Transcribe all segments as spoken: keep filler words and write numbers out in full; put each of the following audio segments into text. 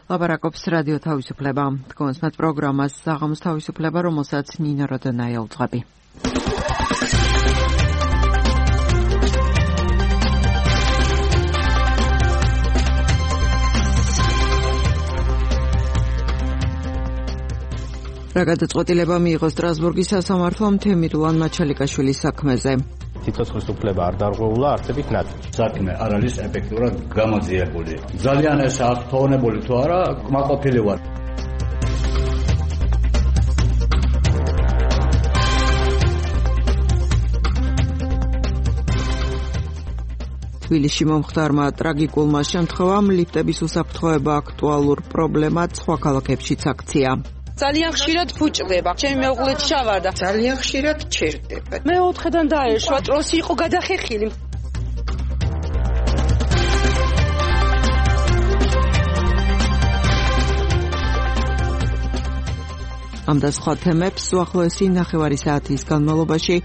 ლაპარაკობს რადიო თავისუფლება. თქვენს პროგრამას საღამოს თავისუფლება, რომელსაც ნინო როდონაია უძღვები. რა გადაწყვეტილება მიიღო სტრასბურგის სასამართლომ თემირლან მაჩალიკაშვილის საქმეზე. სიცოცხლის უფლება არ დარღვეულა არსებით ნაწილში. საქმე არ არის ეფექტურად გამოძიებული. ძალიან ეს აღფრთოვანებული თუ არა, კმაყოფილი ვარ. თბილისში მომხდარმა ტრაგიკულმა შემთხვევამ ლიფტების უსაფრთხოება აქტუალურ პრობლემად სხვა ქალაქებშიც აქცია. ძალიან ხშირად ფუჭდება. ჩემი მეუღლეც ჩავარდა. ძალიან ხშირად ჩერდება. მე ოთხიდან დაეშვა, ტროსი იყო გადახეხილი. ამ და სხვა თემებს უახლოესი ნახევარი საათის განმავლობაში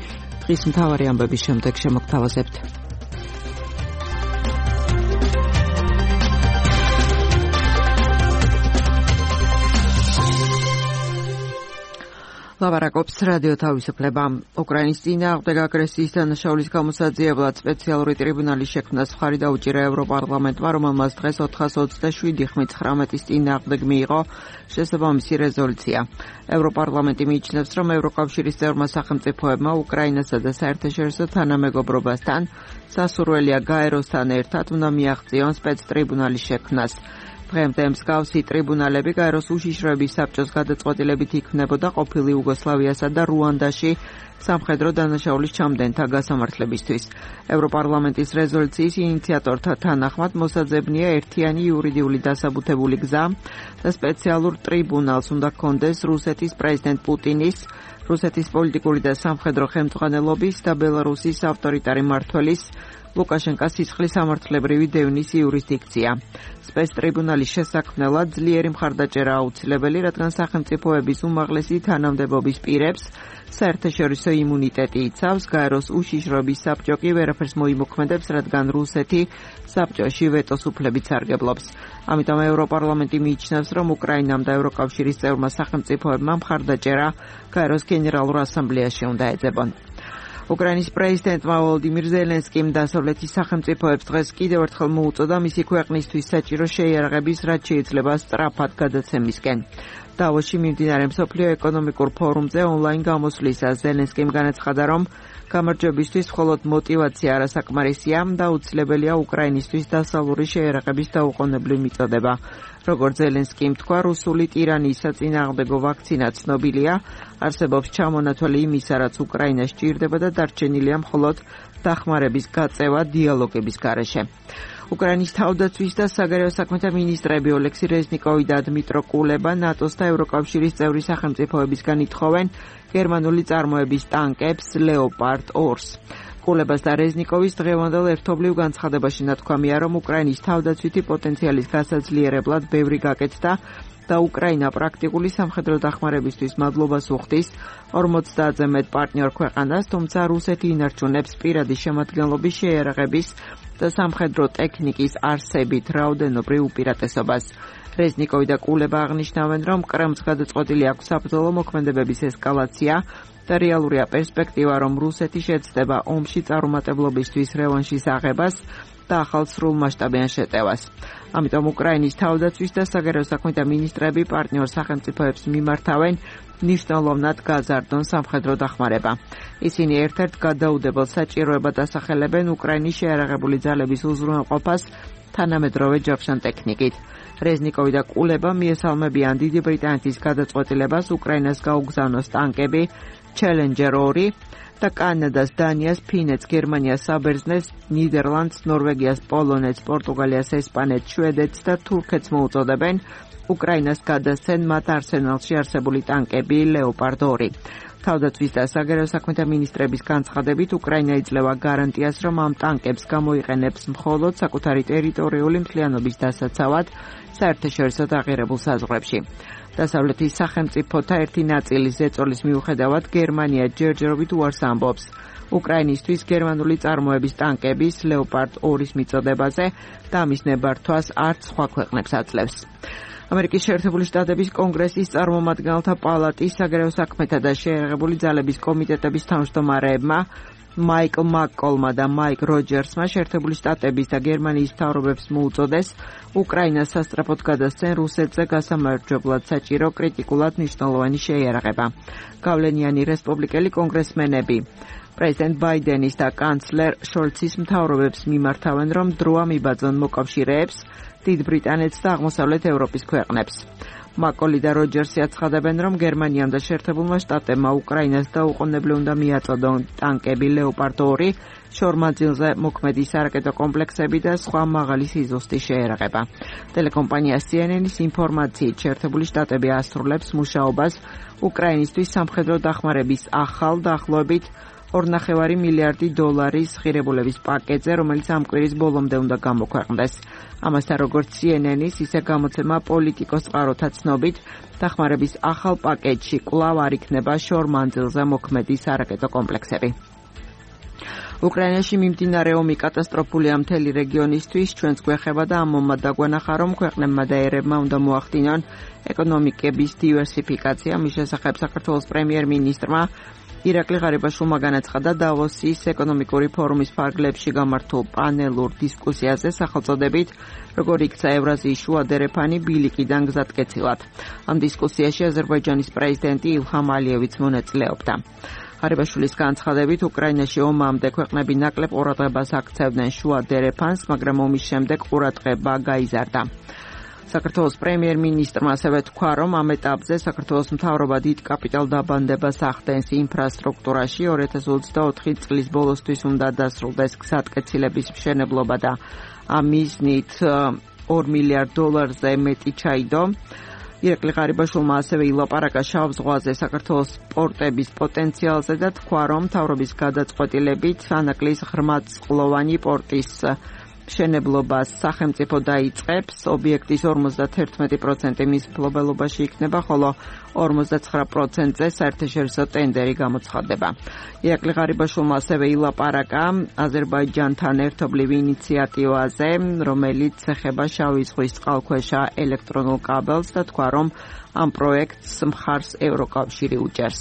დღის მთავარი ამბების შემდეგ შემოგთავაზებთ. ლაპარაკობს რადიო თავისუფლება. უკრაინის წინააღმდეგ აგრესიის დანაშაულის გამოსაძიებლად სპეციალური ტრიბუნალის შექმნას მხარი დაუჭირა ევროპარლამენტმა, რომელმაც დღეს ოთხას ოცდაშვიდი ხმით ცხრამეტის წინააღმდეგ მიიღო შესაბამისი რეზოლუცია. ევროპარლამენტი მიიჩნევს, რომ ევროკავშირის წევრმა სახელმწიფოებმა უკრაინასა და საერთაშორისო თანამეგობრობასთან სასურველია გაეროსთან ერთად უნდა მიაღწიონ სპეცტრიბუნალის შექმნას. დღემდე მსგავსი ტრიბუნალები გაეროს უშიშროების საბჭოს გადაწყვეტილებით იქმნებოდა ყოფილი იუგოსლავიასა და რუანდაში სამხედრო დანაშაულის ჩამდენთა გასამართლებისთვის. ევროპარლამენტის რეზოლუციის ინიციატორთა თანახმად მოსაძებნია ერთიანი იურიდიული დასაბუთებული გზა და სპეციალურ ტრიბუნალს უნდა ჰქონდეს რუსეთის პრეზიდენტ პუტინის, რუსეთის პოლიტიკური და სამხედრო ხელმძღვანელობის და ბელარუსის ავტორიტარი მმართველის ლუკაშენკას სისხლის სამართლებრივი დევნის იურისდიქცია. სპეცტრიბუნალის შესაქმნელად ძლიერი მხარდაჭერა აუცილებელი, რადგან სახელმწიფოების უმაღლესი თანამდებობის პირებს საერთაშორისო იმუნიტეტი იცავს, გაეროს უშიშროების საბჭო კი ვერაფერს მოიმოქმედებს, რადგან რუსეთი საბჭოში ვეტოს უფლებით სარგებლობს. ამიტომ ევროპარლამენტი მიიჩნევს, რომ უკრაინამ და ევროკავშირის წევრმა სახელმწიფოებმა მხარდაჭერა გაეროს გენერალურ ასამბლეაში უნდა ეძებონ. უკრაინის პრეზიდენტმა ვოლოდიმირ ზელენსკიმ დასავლეთის სახელმწიფოებს დღეს კიდევ ერთხელ მოუწოდა მისი ქვეყნისთვის საჭირო შეიარაღების რაც შეიძლება სწრაფად გადაცემისკენ. დავოში მიმდინარე მსოფლიო ეკონომიკურ ფორუმზე ონლაინ გამოსვლისას ზელენსკიმ განაცხადა, რომ გამარჯვებისთვის მხოლოდ მოტივაცია არასაკმარისია და აუცილებელია უკრაინისთვის დასავლური შეიარაღების დაუყოვნებლივ მიწოდება. როგორც ზელენსკიმ თქვა, რუსული ტირანიის საწინააღმდეგო ვაქცინა ცნობილია, არსებობს ჩამონათვალი იმისა, რაც უკრაინას სჭირდება და დარჩენილია მხოლოდ დახმარების გაწევა დიალოგების გარეშე. უკრაინის თავდაცვის და საგარეო საქმეთა მინისტრები ოლექსი რეზნიკოვი და დმიტრო კულება ნატოს და ევროკავშირის წევრი სახელმწიფოებისგან ითხოვენ გერმანული წარმოების ტანკებს ლეოპარდ ორს. კულებას და რეზნიკოვის დღევანდელ ერთობლივ განცხადებაში ნათქვამია, რომ უკრაინის თავდაცვითი პოტენციალის გასაძლიერებლად ბევრი გაკეთდა და უკრაინა პრაქტიკული სამხედრო დახმარებისთვის მადლობას უხდის ორმოცდაათზე მეტ პარტნიორ ქვეყანას, თუმცა რუსეთი ინარჩუნებს პირადი შემადგენლობის შეიარაღების და სამხედრო ტექნიკის არსებით რაოდენობრივ უპირატესობას. რეზნიკოვი და კულება აღნიშნავენ, რომ კრემლს გადაწყვეტილი აქვს საბრძოლო მოქმედებების ესკალაცია და რეალურია პერსპექტივა, რომ რუსეთი შეცდება ომში წარუმატებლობისთვის რევანშის აღებას და ახალ სრულმასშტაბიან შეტევას. ამიტომ უკრაინის თავდაცვის და საგარეო საქმეთა მინისტრები პარტნიორ სახელმწიფოებს მიმართავენ ნიშნულოვნად გაზარდონ სამხედრო დახმარება. ისინი ერთ-ერთ გადაუდებელ საჭიროებად ასახელებენ უკრაინის შეიარაღებული ძალების უზრუნველყოფას თანამედროვე ჯავშან ტექნიკით. რეზნიკოვი და კულება მიესალმებიან დიდი ბრიტანეთის გადაწყვეტილებას უკრაინას გაუგზავნოს ტანკები ჩელენჯერ ორი და კანადას, დანიას, ფინეთს, გერმანიას, საბერძნეთს, ნიდერლანდს, ნორვეგიას, პოლონეთს, პორტუგალიას, ესპანეთს, შვედეთს და თურქეთს მოუწოდებენ უკრაინას გადასცენ მათ არსენალში არსებული ტანკები ლეოპარდ ორი. თავდაცვის და საგარეო საქმეთა მინისტრების განცხადებით უკრაინა იძლევა გარანტიას, რომ ამ ტანკებს გამოიყენებს მხოლოდ საკუთარი ტერიტორიული მთლიანობის დასაცავად საერთაშორისო დაღირებულ საზღვრებში. დასავლეთის სახელმწიფოთა ერთი ნაწილის ზეწოლის მიუხედავად გერმანია ჯერჯერობით უარს ამბობს უკრაინისთვის გერმანული წარმოების ტანკების ლეოპარდ ორის მიწოდებაზე და ამის ნებართვას არც სხვა ქვეყნებს აძლევს. ამერიკის შეერთებული შტატების კონგრესის წარმომადგენელთა პალატის საგარეო საქმეთა და შეერაღებული ძალების კომიტეტების თავმჯდომარეებმა მაიკლ მაკკოლმა და მაიკ როჯერსმა შეერთებული შტატების და გერმანიის მთავრობებს მოუწოდეს უკრაინას სასწრაფოდ გადასცენ რუსეთზე გასამარჯვებლად საჭირო კრიტიკულად მნიშვნელოვანი შეიარაღება. გავლენიანი რესპუბლიკელი კონგრესმენები პრეზიდენტ ბაიდენის და კანცლერ შოლცის მთავრობებს მიმართავენ, რომ დროა მიბაძონ მოკავშირეებს დიდ ბრიტანეთს და აღმოსავლეთ ევროპის ქვეყნებს. მაკოლი და როჯერსი აცხადებენ, რომ გერმანიამ და შეერთებულმა შტატებმა უკრაინას დაუყოვნებლივ უნდა მიაწოდონ ტანკები ლეოპარდ ორი, შორმანძილზე მოქმედი სარაკეტო კომპლექსები და სხვა მაღალი სიზუსტის შეერაღება. ტელეკომპანია სი ენ ენის ინფორმაციით, შეერთებული შტატები ასრულებს მუშაობას უკრაინისთვის სამხედრო დახმარების ახალ დაახლოებით ორ ნახევარი მილიარდი დოლარის ღირებულების პაკეტზე, რომელიც ამ კვირის ბოლომდე უნდა გამოქვეყნდეს. ამასთან, როგორც სი ენ ენის, ისე გამოცემა პოლიტიკოს წყაროთა ცნობით, დახმარების ახალ პაკეტში კვლავ არ იქნება შორმანძილზე მოქმედი სარაკეტო კომპლექსები. უკრაინაში მიმდინარე ომი კატასტროფულია მთელი რეგიონისთვის, ჩვენს გვეხება და ამ ომმა დაგვანახა, რომ ქვეყნებმა და ერებმა უნდა მოახდინონ ეკონომიკების დივერსიფიკაცია. მის შესახებ საქართველოს პრემიერ-მინისტრმა ირაკლი ღარიბაშვილმა განაცხადა დავოსის ეკონომიკური ფორუმის ფარგლებში გამართულ პანელურ დისკუსიაზე სახელწოდებით როგორ იქცა ევრაზიის შუა დერეფანი ბილიკიდან გზატკეცილად. ამ დისკუსიაში აზერბაიჯანის პრეზიდენტი ილჰამ ალიევიც მონაწილეობდა. ღარიბაშვილის განცხადებით, უკრაინაში ომამდე ქვეყნები ნაკლებ ყურადღებას აქცევდნენ შუა დერეფანს, მაგრამ ომის შემდეგ ყურადღება გაიზარდა. საქართველოს პრემიერ-მინისტრმა ასევე თქვა, რომ ამ ეტაპზე საქართველოს მთავრობა დიდ კაპიტალდაბანდებას ახდენს ინფრასტრუქტურაში. ორი ათას ოცდაოთხი წლის ბოლოსთვის უნდა დასრულდეს გზატკეცილების მშენებლობა და ამ მიზნით ორ მილიარდ დოლარზე მეტი ჩაიდო. ირაკლი ღარიბაშვილმა ასევე ილაპარაკა შავ ზღვაზე საქართველოს პორტების პოტენციალზე და თქვა, რომ მთავრობის გადაწყვეტილებით ანაკლის ღრმაწყლოვანი პორტის მშენებლობას სახელმწიფო დაიწყებს. ობიექტის ორმოცდაერთმეტი პროცენტი მის მფლობელობაში იქნება, ხოლო ორმოცდაცხრა პროცენტზე საერთაშორისო ტენდერი გამოცხადდება. ირაკლი ღარიბაშვილმა ასევე ილაპარაკა აზერბაიჯანთან ერთობლივ ინიციატივაზე, რომელიც ეხება შავი ზღვის წყალქვეშა ელექტრონულ კაბელს და თქვა, რომ ამ პროექტს მხარს ევროკავშირი უჭერს.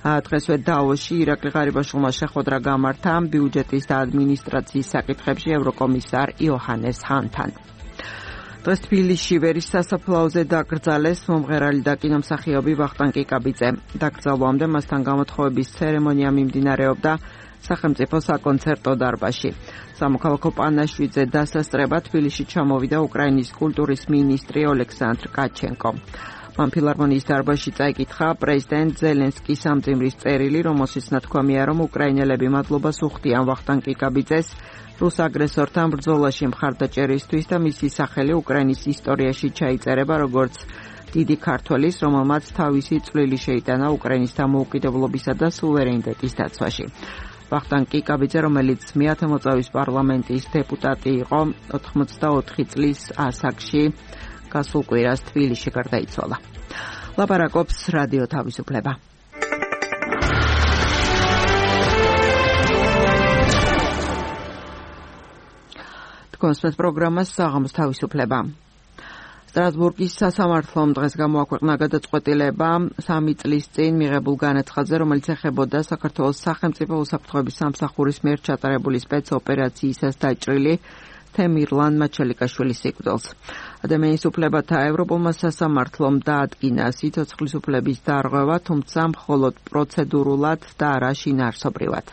დღესვე დავოსში ირაკლი ღარიბაშვილმა შეხვედრა გამართა ბიუჯეტის და ადმინისტრაციის საკითხებში ევროკომისარ იოჰანეს ჰანთან. დღეს თბილისში ვერის სასაფლაოზე დაკრძალეს მომღერალი და კინომსახიობი ვახტანგ კიკაბიძე. დაკრძალვამდე მასთან გამოთხოვების ცერემონია მიმდინარეობდა სახელმწიფო საკონცერტო დარბაზში. სამოქალაქო პანაშვიდზე დასასწრება თბილისში ჩამოვიდა უკრაინის კულტურის მინისტრი ოლექსანდრ კაჩენკო. მან ფილარმონიის დარბაზში წაიკითხა პრეზიდენტ ზელენსკის ამძიმრის წერილი, რომელშიც ნათქვამია, რომ უკრაინელები მადლობას უხდიან ვახტანგ კიკაბიძეს რუს აგრესორთან ბრძოლაში მხარდაჭერისთვის და მისი სახელი უკრაინის ისტორიაში ჩაიწერება როგორც დიდი ქართველის, რომელმაც თავისი წვლილი შეიტანა უკრაინის დამოუკიდებლობისა და სუვერენიტეტის დაცვაში. ვახტანგ კიკაბიძე, რომელიც მეათე მოწვევის პარლამენტის დეპუტატი იყო, ოთხმოცდაოთხი წლის ასაკში გასულ კვირას თბილისში გარდაიცვალა. ლაპარაკობს რადიო თავისუფლება. თქვენს პროგრამას საღამოს თავისუფლება. სტრასბურგის სასამართლომ დღეს გამოაქვეყნა გადაწყვეტილება სამი წლის წინ მიღებულ განაცხადზე, რომელიც ეხებოდა საქართველოს სახელმწიფო უსაფრთხოების სამსახურის მიერ ჩატარებული სპეცოპერაციისას დაჭრილი თემირლან მაჩალიკაშვილის სიკვდილს. ადამიანის უფლებათა ევროპულმა სასამართლომ დაადგინა სიცოცხლის უფლების დარღვევა, თუმცა მხოლოდ პროცედურულად და არა შინაარსობრივად.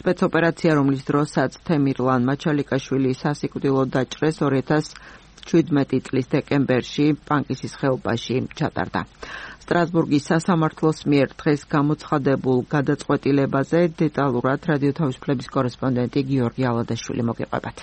სპეცოპერაცია, რომლის დროსაც თემირლან მაჩალიკაშვილი სასიკვდილო დაჭრეს ორი ათას შვიდმეტი წლის დეკემბერში პანკისის ხეობაში ჩატარდა. სტრასბურგის სასამართლოს მიერ დღეს გამოცხადებულ გადაწყვეტილებაზე დეტალურად რადიო თავისუფლების კორესპონდენტი გიორგი ალადაშვილი მოგიყვებათ.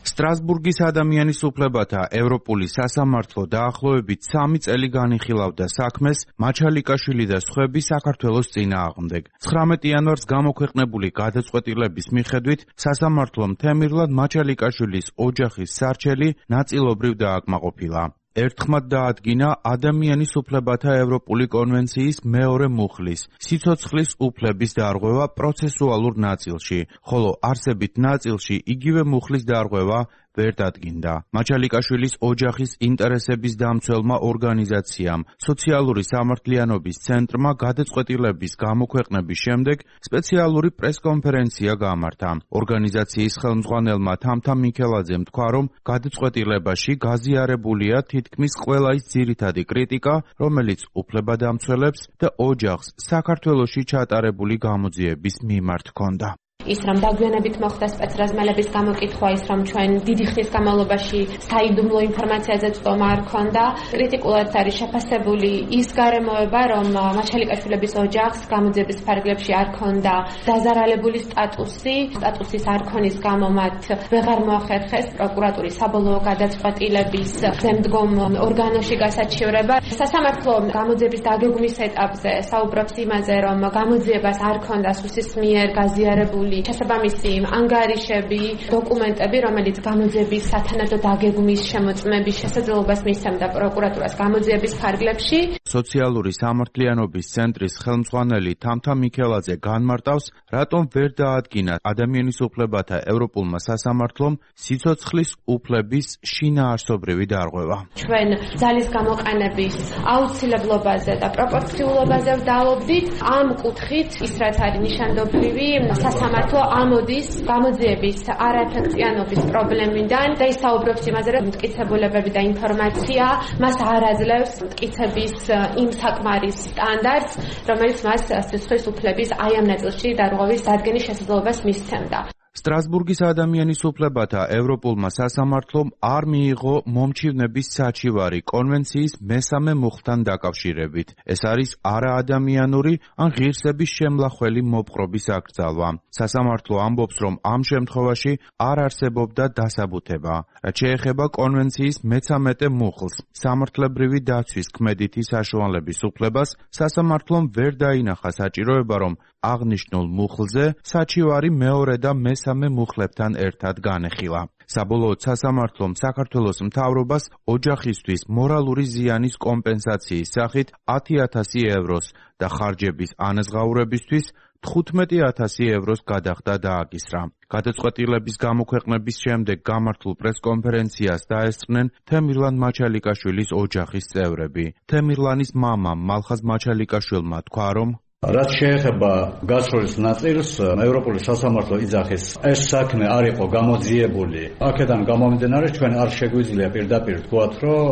სტრასბურგის ადამიანის უფლებათა ევროპული სასამართლო დაახლოებით სამი წელი განიხილავდა საქმეს მაჩალიკაშვილი და სხვები საქართველოს წინააღმდეგ. ცხრამეტი იანვარს გამოქვეყნებული გადაწყვეტილების მიხედვით სასამართლომ თემირლან მაჩალიკაშვილის ოჯახის სარჩელი ნაწილობრივ დააკმაყოფილა. ერთხმად დაადგინა ადამიანის უფლებათა ევროპული კონვენციის მეორე მუხლის სიცოცხლის უფლების დარღვევა პროცესუალურ ნაწილში, ხოლო არსებით ნაწილში იგივე მუხლის დარღვევა ვერ დადგინდა. მაჩალიკაშვილის ოჯახის ინტერესების დამცველმა ორგანიზაციამ სოციალური სამართლიანობის ცენტრმა გადაწყვეტილების გამოქვეყნების შემდეგ სპეციალური პრესკონფერენცია გამართა. ორგანიზაციის ხელმძღვანელმა თამთა მიქელაძემ თქვა, რომ გადაწყვეტილებაში გაზიარებულია თითქმის ყველა ის ძირითადი კრიტიკა, რომელიც უფლებადამცველებს და ოჯახს საქართველოში ჩატარებული გამოძიების მიმართ ჰქონდა. ის რომ დაგვიანებით მოხდა სპეცრაზმელების გამოკითხვა, ის რომ ჩვენ დიდი ხნის განმავლობაში საიდუმლო ინფორმაციაზე წვდომა არ ჰქონდა, კრიტიკულად არის შეფასებული ის გარემოება, რომ მაჩალიკაშვილების ოჯახს გამოძიების ფარგლებში არ ჰქონდა დაზარალებული სტატუსი, სტატუსის არ ქონის გამო მათ ვეღარ მოახერხეს პროკურატურის საბოლოო გადაწყვეტილების შემდგომ ორგანოში გასაჩივრება. სასამართლო გამოძიების დაგეგმვის ეტაპზე საუბრობს იმაზე, რომ გამოძიებას არ ჰქონდა სუსის მიერ გაზიარებული შესაბამისი ანგარიშები, დოკუმენტები, რომელიც გამოძიების სათანადო დაგეგმვის შემოწმების შესაძლებლობას მისცემდა პროკურატურას გამოძიების ფარგლებში. სოციალური სამართლიანობის ცენტრის ხელმძღვანელი თამთა მიქელაძე განმარტავს, რატომ ვერ დაადგინა ადამიანის უფლებათა ევროპულმა სასამართლომ სიცოცხლის უფლების შინაარსობრივი დარღვევა. ჩვენ ძალის გამოყენების აუცილებლობაზე და პროპორციულობაზე ვდაობდით. ამ კუთხით ის რაც არის ნიშანდობლივი, სასამართლო ამოდის გამოძიების არაეფექტიანობის პრობლემიდან და ისაუბრებს იმაზე, რომ მტკიცებულებები და ინფორმაცია მას არ აძლევს მტკიცების იმ საკმარის სტანდარტს, რომელიც მას სიცოცხლის უფლების აი ამ ნაწილში დარღვევის დადგენის შესაძლებლობას მისცემდა. სტრასბურგის ადამიანის უფლებათა ევროპულმა სასამართლომ არ მიიღო მომჩივნების საჩივარი კონვენციის მესამე მუხლთან დაკავშირებით. ეს არის არაადამიანური ან ღირსების შემლახველი მოპყრობის აკრძალვა. სასამართლო ამბობს, რომ ამ შემთხვევაში არ არსებობდა დასაბუთება. რაც შეეხება კონვენციის მეცამეტე მუხლს, სამართლებრივი დაცვის ქმედითი საშუალების უფლებას, სასამართლომ ვერ დაინახა საჭიროება, რომ აღნიშნულ მუხლზე საჩივარი მეორე და მესამე მუხლებთან ერთად განეხილა. საბოლოოდ სასამართლომ საქართველოს მთავრობას ოჯახისთვის მორალური ზიანის კომპენსაციის სახით ათი ათასი ევროს და ხარჯების ანაზღაურებისთვის თხუთმეტი ათასი ევროს გადახდა დააკისრა. გადაწყვეტილების გამოქვეყნების შემდეგ გამართულ პრესკონფერენციას დაესწრნენ თემირლან მაჩალიკაშვილის ოჯახის წევრები. თემირლანის მამა მალხაზ მაჩალიკაშვილმა თქვა, რომ რაც შეეხება გასროლის ნაწილს, ევროპული სასამართლო იძახის ეს საქმე არ იყო გამოძიებული. აქედან გამომდინარე, ჩვენ არ შეგვიძლია პირდაპირ თქვათ, რომ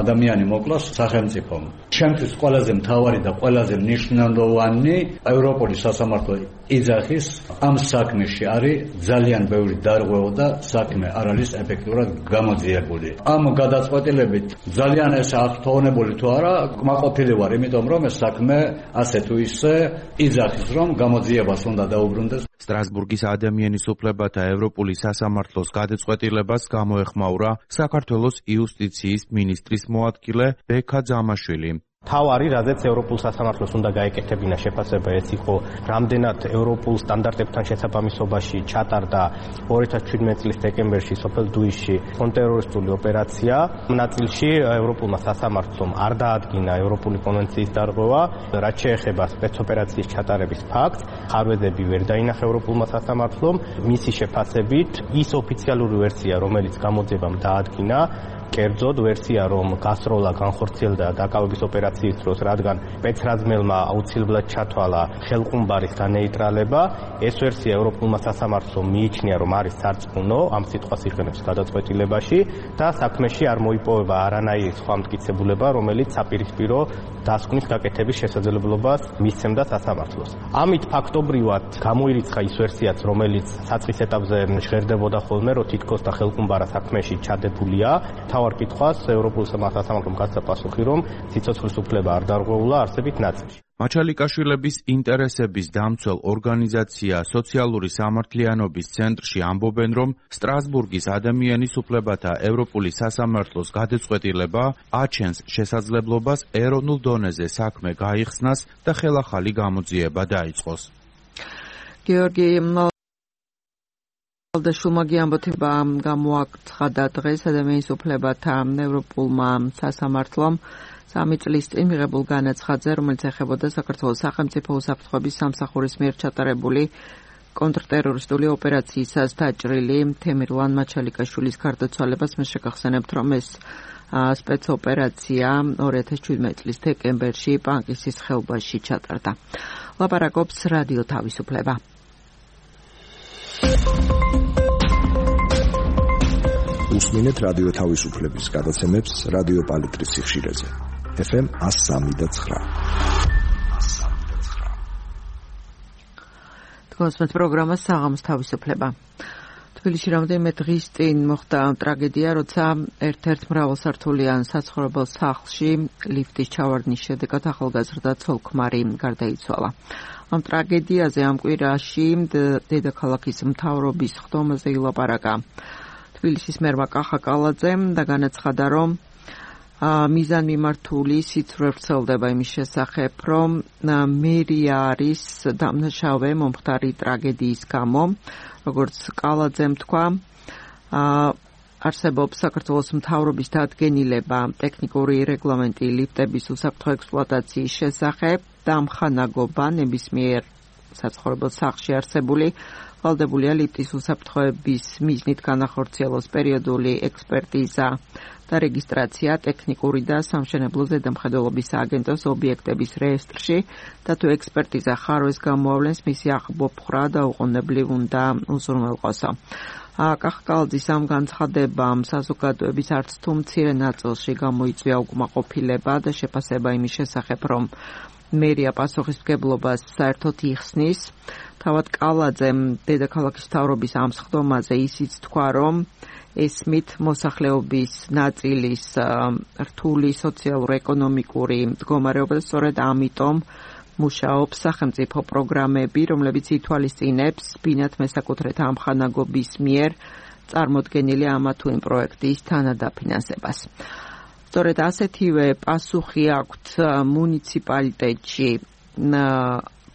ადამიანი მოკლას სახელმწიფომ. ჩემთვის ყველაზე მთავარი და ყველაზე მნიშვნელოვანი ევროპული სასამართლო იძახის ამ საქმეში არის ძალიან ბევრი დარღვევა და საქმე არ არის ეფექტურად გამოძიებული. ამ გადაწყვეტილებით ძალიან ეს აღთხოვნებული თუ არა, კმაყოფილი ვარ, იმიტომ რომ ეს საქმე ასე თუ ისე იძახის, რომ გამოძიებას უნდა დაუბრუნდეს. სტრასბურგის ადამიანის უფლებათა ევროპული სასამართლოს გადაწყვეტილებას გამოეხმაურა საქართველოს იუსტიციის მინისტრის მოადგილე ბექა ძამაშვილი. თავარი, რაზეც ევროპულ სასამართლოს უნდა გაეკეთებინა შეფასება, ეს იყო რამდენად ევროპულ სტანდარტებთან შესაბამისობაში ჩატარდა ორი ათას ჩვიდმეტი წლის დეკემბერში სოფელ დუისში კონტრტერორისტული ოპერაცია. ამ ნაწილში ევროპულმა სასამართლომ არ დაადგინა ევროპული კონვენციის დარღვევა, რაც შეეხება სპეცოპერაციის ჩატარების ფაქტს. ხარვეზები ვერ დაინახა ევროპულმა სასამართლომ. მისი შეფასებით ის ოფიციალური ვერსია, რომელიც გამოძიებამ დაადგინა, კერძოდ ვერსია, რომ გასროლა განხორციელდა დაკავების ოპერაციის დროს, რადგან სპეცრაზმელმა აუცილებლად ჩათვალა ხელყუმბარის განეიტრალება. ეს ვერსია ევროპულმა სასამართლომ მიიჩნია, რომ არის სარწმუნო, ამ სიტყვას იყენებს გადაწყვეტილებაში და საქმეში არ მოიპოვება არანაირი სხვა მტკიცებულება, რომელიც საპირისპირო დასკვნის გაკეთების შესაძლებლობას მისცემდა სასამართლოს. ამით ფაქტობრივად გამოირიცხა ის ვერსიაც, რომელიც საწყის ეტაპზე ჟღერდებოდა ხოლმე, რომ თითქოს და ხელყუმბარა საქმეში ჩადებულია. თავარ კითხვას ევროპულ სასამართლომ გასცა პასუხი, რომ სიცოცხლის უფლება არ დარღვეულა არსებით ნაწილში. მაჩალიკაშვილების ინტერესების დამცველ ორგანიზაცია სოციალური სამართლიანობის ცენტრში ამბობენ, რომ სტრასბურგის ადამიანის უფლებათა ევროპული სასამართლოს გადაწყვეტილება აჩენს შესაძლებლობას ეროვნულ დონეზე საქმე გაიხსნას და ხელახალი გამოძიება დაიწყოს. გიორგი და შუმაგი ამბოთება გამოაცხადა დღეს ადამიანის უფლებათა ევროპულმა სასამართლომ სამი წლის წინ მიღებულ განაცხადზე, რომელიც ეხებოდა საქართველოს სახელმწიფო უსაფრთხოების სამსახურის მიერ ჩატარებული კონტრტერორისტული ოპერაციისას დაჭრილი თემირლან მაჩალიკაშვილის გარდაცვალებას მე შეგახსენებთ, რომ ეს სპეცოპერაცია ორი ათას შვიდმეტი წლის დეკემბერში პანკისის ხეობაში ჩატარდა. ლაპარაკობს რადიო თავისუფლება. უსმინეთ რადიო თავისუფლების გადაცემებს რადიო პალიტრის სიხშირეზე. ეფ ემ εκατო სამი და ცხრა. თქვენს პროგრამა საღამოს თავისუფლება. თბილისში რამდენიმე დღის წინ მოხდა ტრაგედია, როცა ერთ-ერთ მრავალსართულიან საცხოვრებელ სახლში ლიფტის ჩავარდნის შედეგად ახალგაზრდა ცოლ-ქმარი გარდაიცვალა. ამ ტრაგედიაზე ამ კვირაში დედაქალაქის მთავრობის ხდომაზე ილაპარაკა თბილისის მერმა კახა კალაძემ და განაცხადა, რომ მიზანმიმართული სიცრუე ვრცელდება იმის შესახებ, რომ მერია არის დამნაშავე მომხდარი ტრაგედიის გამო. როგორც კალაძემ თქვა, არსებობს საქართველოს მთავრობის დადგენილება ტექნიკური რეგლამენტი ლიფტების უსაფრთხო ექსპლუატაციის შესახებ და ამხანაგობა ნებისმიერ საცხოვრებელ სახლში არსებული ვალდებულია ლიფტის უსაფრთხოების მიზნით განახორციელოს პერიოდული ექსპერტიზა და რეგისტრაცია ტექნიკური და სამშენებლო ზედამხედველობის სააგენტოს ობიექტების რეესტრში და თუ ექსპერტიზა ხარვეს გამოავლენს, მისი აღბოფხრა და უყოვნებლივ უნდა უზრუნველყოსო. კახა კალაძის ამ განცხადებამ საზოგადოების არც თუ მცირე ნაწილში გამოიწვია უკმაყოფილება და შეფასება იმის შესახებ, რომ მერია პასუხისმგებლობას საერთოდ იხსნის. თავად კალაძემ დედაქალაქის მთავრობის ამ სხდომაზე ისიც თქვა, რომ ესმით მოსახლეობის ნაწილის რთული სოციალურ-ეკონომიკური მდგომარეობა და სწორედ ამიტომ მუშაობს სახელმწიფო პროგრამები, რომლებიც ითვალისწინებს ბინათ მესაკუთრეთა ამხანაგობის მიერ წარმოდგენილი ამა თუ იმ პროექტის თანადაფინანსებას. სწორედ ასეთივე პასუხი აქვთ მუნიციპალიტეტში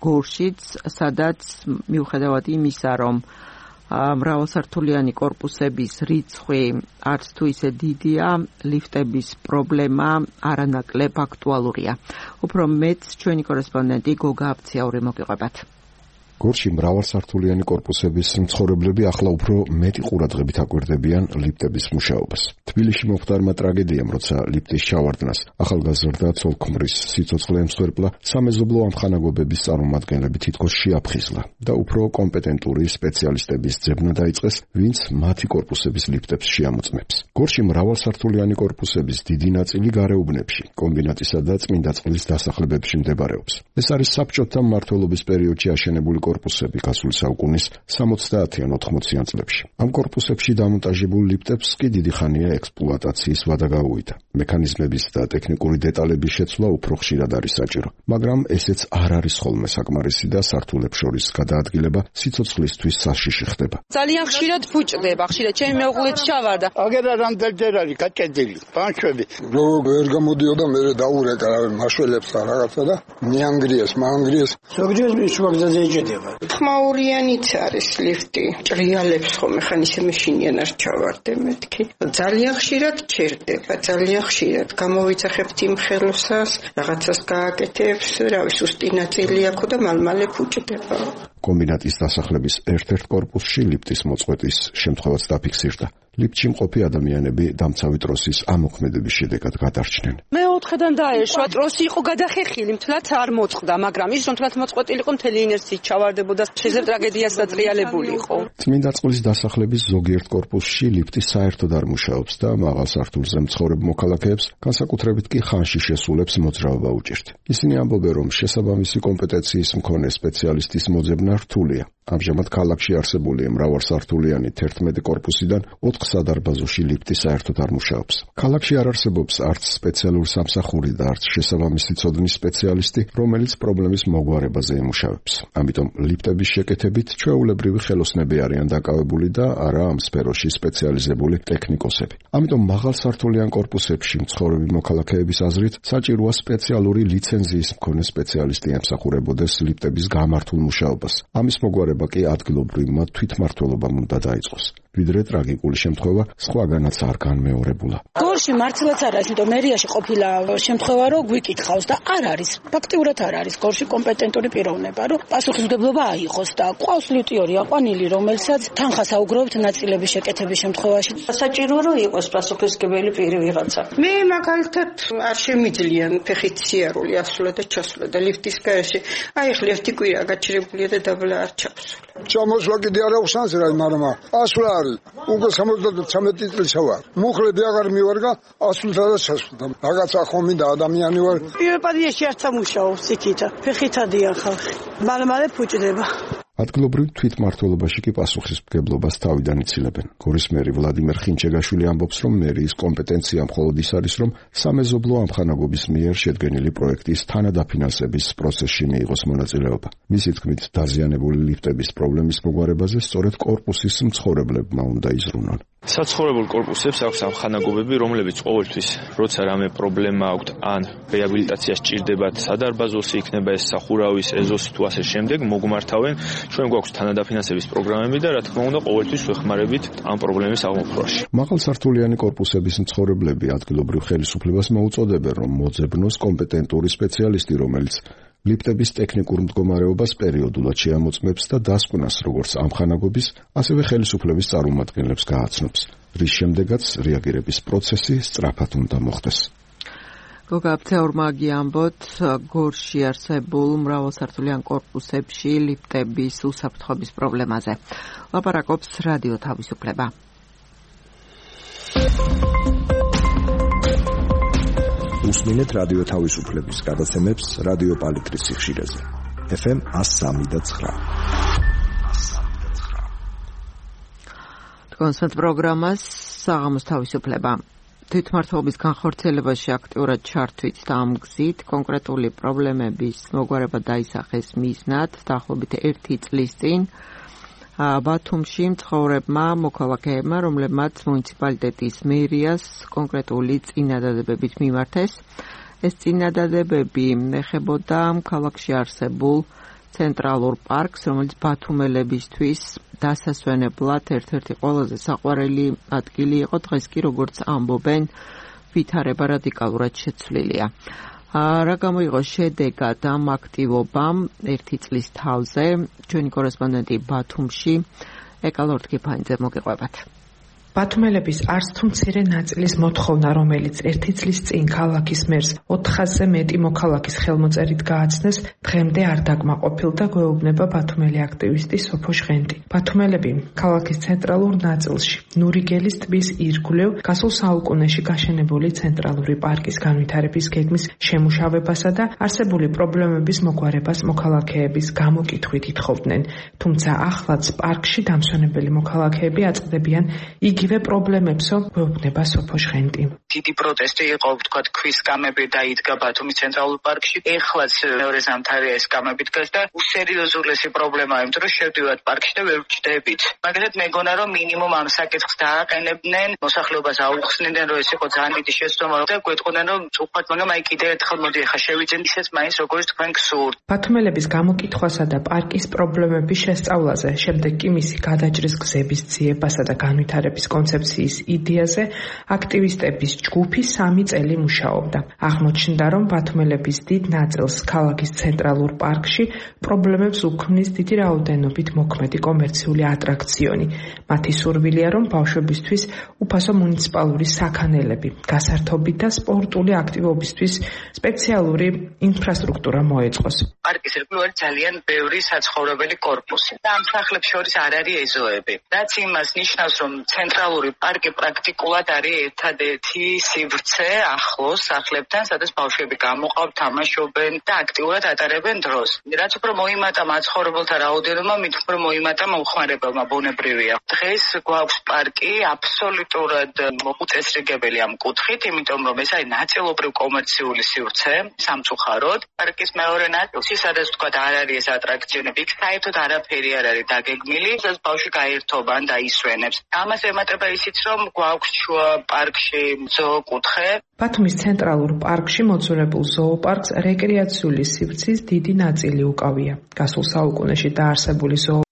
გორშიც, სადაც მიუხედავად იმისა, რომ მრავალსართულიანი კორპუსების რიცხვი არც თუ ისე დიდია, ლიფტების პრობლემა არანაკლებ აქტუალურია. უფრო მეც ჩვენი კორესპონდენტი გოგა აბციაური მოგიყვებათ. გორში მრავალსართულიანი კორპუსების მცხოვრებლები ახლა უფრო მეტი ყურადღებით აკვირდებიან ლიფტების მუშაობას. თბილისში მომხდარმა ტრაგედიამ, როცა ლიფტის ჩავარდნას ახალგაზრდა ცოლ-ქმრის სიცოცხლე ემსხვერპლა, სამეზობლო ამხანაგობების წარმომადგენლები თითქოს შეაფხიზლა და უფრო კომპეტენტური სპეციალისტების ძებნა დაიწყეს, ვინც მათი კორპუსების ლიფტებს შეამოწმებს. გორში მრავალსართულიანი კორპუსების დიდი ნაწილი გარეუბნებში, კომბინატისა და წმინდა წყლის დასახლებებში მდებარეობს. ეს არის საბჭოთა მმართველობის პერიოდში აშენებული კორპუსები გასული საუკუნის სამოცდაათიან ოთხმოციან წლებში. ამ კორპუსებში დამონტაჟებულ ლიფტებს კი დიდი ხანია ექსპლუატაციის ვადა გაუვიდა. მექანიზმების და ტექნიკური დეტალების შეცვლა უფრო ხშირად არის საჭირო, მაგრამ ესეც არ არის ხოლმე საკმარისი და სართულებს შორის გადაადგილება სიცოცხლისთვის საშიში ხდება. ძალიან ხშირად ფუჭდება, ხშირად ჩემი მეუღლეც ჩავარდა. აგერა რამდენჯერ არის გაჭედილი, ბანშვები. რო ვერ გამოდიოდა, მე დაურეკა მაშველებს და რაღაცა და მიანგრიეს, მაანგრიეს. ზოგჯერ მისვაგზაზე ეჭედება. ხმაურიანიც არის ლიფტი. ჭრიალებს ხომ ხან ისე მეშინიან არ ჩავარდე მეთქი. ძალიან ხშირად ჩერდება, ძალიან ხშირად გამოვიძახებთ იმ ხელოსას, რაღაცას გააკეთებს, რავი, სუსტი ნაწილი აქვს და მალმალე ფუჭდება. კომბინატის დასახლების ერთ-ერთ კორპუსში ლიფტის მოწყვეტის შემთხვევაც დაფიქსირდა. ლიფტში მყოფი ადამიანები დამცავი ტროსის ამოქმედების შედეგად გადარჩნენ. მე ოთხიდან დაეშვა, ტროსი იყო გადახეხილი, მთლად არ მოწყდა, მაგრამ ის რომ მთლად მოწყვეტილი იყო, მთელი ინერციით ჩავარდებოდა, შეიძლება ტრაგედიას დატრიალებული იყო. წმინდა წყლის დასახლების ზოგიერთ კორპუსში ლიფტი საერთოდ არ მუშაობს და მაღალ სართულზე მცხოვრებ მოქალაქეებს, განსაკუთრებით კი ხანში შესულებს მოძრაობა უჭირთ. ისინი ამბობენ, რომ შესაბამისი კომპეტენციის მქონე სპეციალისტის მოძებნა რთულია. ამჟამად ქალაქში არსებული მრავალსართულიანი თერთმეტი კორპუსიდან ოთხ სადარბაზოში ლიფტი საერთოდ არ მუშაობს. ქალაქში არ არსებობს არც სპეციალური სამსახური და არც შესაბამისი ცოდნის სპეციალისტი, რომელიც პრობლემის მოგვარებაზე ემუშავებს. ამიტომ ლიფტების შეკეთებით ჩვეულებრივი ხელოსნები არიან დაკავებული და არა ამ სფეროში სპეციალიზებული ტექნიკოსები. ამიტომ მაღალსართულიან კორპუსებში მცხოვრები მოქალაქეების აზრით საჭიროა სპეციალური ლიცენზიის მქონე სპეციალისტი ემსახურებოდეს ლიფტების გამართულ მუშაობას. ამის მოგვარება კი ადგილობრივმა თვითმმართველობამ უნდა დაიწყოს. ვიდრე ტრაგიკული შემთხვევა სხვაგანაც არ განმეორებულა. გორში მართლაც არ არის, იმიტომ მერიაში ყოფილა შემთხვევა, რომ გვიკითხავს და არ არის. ფაქტიურად არ არის გორში კომპეტენტური პიროვნება, რომ პასუხისმგებლობა აიღოს და ყავს ლიტიორი აყვანილი, რომელსაც თანხას აუგროვებთ ნაწილების შეკეთების შემთხვევაში. საჭირო რომ იყოს პასუხისმგებელი პირი ვიღაცა. მე მაგალითად არ შემიძლიან ფეხით სიარული ასვლა და ჩასვლა და ლიფტის გარეშე. აი ხ ლიფტი კვირა გაჩერებულია და დაბლა არ ჩავსვლა. ჩამოსვლა კიდე არ აქვს შანსი რა, მაგრამ ასვლა არის. უკვე სამოცდათერთმეტი წელს ვარ. მუხლები აღარ მივარგა, ასვლთა და ჩასვლთა. რაღაცა ხომ მინდა ადამიანი ვარ. პიროპადიაში არ სამუშაობს იქითა. ფეხითადია ხალხი. მალე-მალე ფუჭდება. ადგილობრივ თვითმმართველობაში კი პასუხისმგებლობას თავიდან იცილებენ. გორის მერი ვლადიმერ ხინჩეგაშვილი ამბობს, რომ მერიის კომპეტენცია მხოლოდ ის არის, რომ სამეზობლო ამხანაგობის მიერ შედგენილი პროექტის თანადაფინანსების პროცესში მიიღოს მონაწილეობა. მისი თქმით, დაზიანებული ლიფტების პრობლემის მოგვარებაზე სწორედ კორპუსის მცხოვრებლებმა უნდა იზრუნონ. საცხოვრებელ კორპუსებს აქვს ამხანაგობები, რომლებიც ყოველთვის, როცა რამე პრობლემა აქვთ, ან რეაბილიტაცია სჭირდებათ, სადარბაზოსი იქნება ეს სახურავის, ეზოსი თუ ასე შემდეგ, მოგმართავენ. ჩვენ გვაქვს თანადაფინანსების პროგრამები და რა თქმა უნდა, ყოველთვის ვეხმარებით ამ პრობლემის აღმოფხვრაში. მაღალსართულიანი კორპუსების მცხოვრებლები ადგილობრივ ხელისუფლებას მოუწოდებენ, რომ მოძებნოს კომპეტენტური სპეციალისტი, რომელიც ლიფტების ტექნიკურ მდგომარეობას პერიოდულად შეამოწმებს და დასკვნას როგორც ამხანაგობის, ასევე ხელისუფლების წარმომადგენლებს გააცნობს, რის შემდეგაც რეაგირების პროცესი სწრაფად უნდა მოხდეს. გოგა აფცეურმაგი ამბოთ, გორში არსებულ მრავალსართულიან კორპუსებში ლიფტების უსაფრთხოების პრობლემაზე. ლაპარაკობს რადიო თავისუფლება. უსმინეთ რადიო თავისუფლების გადაცემებს რადიო პალიტრის სიხშირეზე. ეფ ემ one oh three და nine. კონსერტ პროგრამას საღამოს თავისუფლება. თვითმმართველობის განხორციელებაში აქტიურად ჩართვით და ამ გზით კონკრეტული პრობლემების მოგვარება დაისახეს მიზნად დაახლოებით ერთი წლის წინ ბათუმში მცხოვრებმა მოქალაქეებმა, რომლებმაც მუნიციპალიტეტის მერიას კონკრეტული წინადადებებით მიმართეს. ეს წინადადებები ეხებოდა ქალაქში არსებულ ცენტრალურ პარკს, რომელიც ბათუმელებისთვის დასასვენებლად ერთ-ერთი ყველაზე საყვარელი ადგილი იყო. დღეს კი როგორც ამბობენ, ვითარება რადიკალურად შეცვლილია. რა გამოიღო შედეგად ამ აქტივობამ ერთი წლის თავზე, ჩვენი კორესპონდენტი ბათუმში ეკალორდ კიფანიძე მოგიყვებათ. ბათუმელების არც თუ მცირე ნაწილის მოთხოვნა, რომელიც ერთი წლის წინ ქალაქის მერს ოთხასზე მეტი მოქალაქის ხელმოწერით გააცნეს, დღემდე არ დაკმაყოფილ და გვეუბნება ბათუმელი აქტივისტი სოფო ჟღენტი. ბათუმელები ქალაქის ცენტრალურ ნაწილში, ნურიგელის ტბის ირგვლივ, გასულ საუკუნეში გაშენებული ცენტრალური პარკის განვითარების გეგმის შემუშავებასა და არსებული პრობლემების მოგვარებას მოქალაქეების გამოკითხვით ითხოვდნენ. თუმცა ახლაც პარკში დამსვენებელი მოქალაქეები აწყდებიან იგივე პრობლემებსო, გვეუბნება სოფო ჟღენტი. დიდი პროტესტი იყო, ვთქვათ, ქვის სკამები დაიდგა ბათუმის ცენტრალურ პარკში. ეხლაც მეორე ზამთარია ეს სკამები დგას და უსერიოზულესი პრობლემაა, იმიტომ რომ შევდივართ პარკში და ვერ ვჭდებით. მაგალითად, მეგონა რომ მინიმუმ ამ საკითხს დააყენებდნენ, მოსახლეობას აუხსნიდნენ, რომ ეს იყო ძალიან დიდი შეცდომა და გვეტყოდნენ, რომ უხმართ, მაგრამ აი კიდევ ერთხელ მოდი ახლა შევიძენთ ისეც მაინც როგორც თქვენ გსურთ. ბათუმელების გამოკითხვასა და პარკის პრობლემების შესწავლაზე, შემდეგ კი მისი გადაჭრის გზების ძიებასა და განვითარების კონცეფციის იდეაზე აქტივისტების ჯგუფი სამი წელი მუშაობდა. აღმოჩნდა, რომ ბათუმელების დიდ ნაწილს ქალაქის ცენტრალურ პარკში პრობლემებს უქმნის დიდი რაოდენობით მოქმედი კომერციული ატრაქციონი. მათი სურვილია, რომ ბავშვებისთვის უფასო მუნიციპალური საქანელები, გასართობი და სპორტული აქტივობისთვის სპეციალური ინფრასტრუქტურა მოეწყოს. პარკის ირგვლივ არის ძალიან ბევრი საცხოვრებელი კორპუსი და ამ სახლებს შორის არ არის ეზოები. რაც იმას ნიშნავს, რომ ცენტრალური პარკი პრაქტიკულად არის ერთადერთი სივრცე ახლოს სახლებთან, სადაც ბავშვები გამოყავთ, თამაშობენ და აქტიურად ატარებენ დროს. რაც უფრო მოიმატა მაცხოვრებელთა რაოდენობა, მით უფრო მოიმატა მომხმარებელმა, ბუნებრივია. დღეს გვაქვს პარკი აბსოლუტურად მოუწესრიგებელი ამ კუთხით, იმიტომ რომ ეს არის ნაწილობრივ კომერციული სივრცე, სამწუხაროდ. პარკის მეორე ნაწილში, სადაც ვთქვათ, არ არის ეს ატრაქციონები, იქ საერთოდ არაფერი არ არის დაგეგმილი, სადაც ბავშვი გაერთობა და ისვენებს. ამას ემატება ისიც, რომ გვაქვს შუა პარკში ზოოკუთხე. ბათუმის ცენტრალურ პარკში მოძველებულ ზოოპარკს რეკრეაციული სივრცის დიდი ნაწილი უკავია. გასულ საუკუნეში დაარსებული ზოოპარკი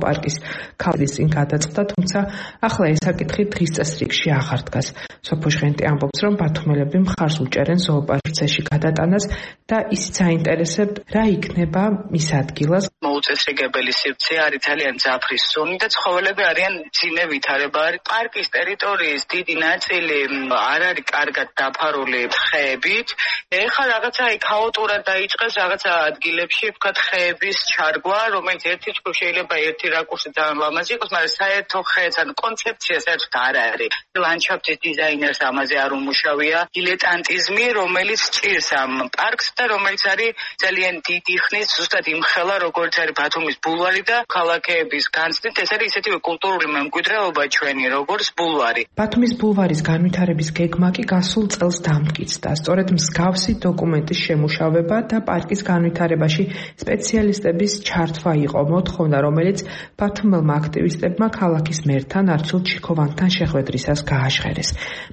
პარკის ქალის წინ გადაწყდა, თუმცა ახლა ეს საკითხი დღის წესრიგში აღარ დგას. სოფო ჟღენტი ამბობს, რომ ბათუმელები მხარს უჭერენ ზოოპარკში გადატანას და ისიც აინტერესებთ, რა იქნება მის ადგილას. მოუწესრიგებელი სივრცე არის, ძალიან ძაფრი სუნი და ცხოველები არიან ძინე ვითარება არის. პარკის ტერიტორიის დიდი ნაწილი არ არის კარგად დაფარული ხეებით. ეხლა რაღაცა ქაოტურად დაიწყეს რაღაცა ადგილებში, ვთქვათ, ხეების ჩარგვა, რომელიც ერთი ჯგუფ შეიძლება ერთი რაკურსი ძალიან ლამაზი იყოს, მაგრამ საერთო ხეც ან კონცეფცია საერთოდ არ არის. ლანდშაფტის დიზაინერს ამაზე არ უმუშავია. დილეტანტიზმი, რომელიც ჭირს ამ პარკს და რომელიც არის ძალიან დიდი ხნის ზუსტად იმხელა, როგორც არის ბათუმის ბულვარი და ქალაქების განცდით, ეს არის ისეთივე კულტურული მემკვიდრეობა ჩვენი, როგორც ბულვარი. ბათუმის ბულვარის განვითარების გეგმა კი გასულ წელს დამტკიცდა. სწორედ მსგავსი დოკუმენტის შემუშავება და პარკის განვითარებაში სპეციალისტების ჩართვა იყო მოთხოვნა, რომელიც ბათუმელმა აქტივისტებმა ქალაქის მერთან არჩილ ჩიქოვანთან შეხვედრისას გააჟღერეს.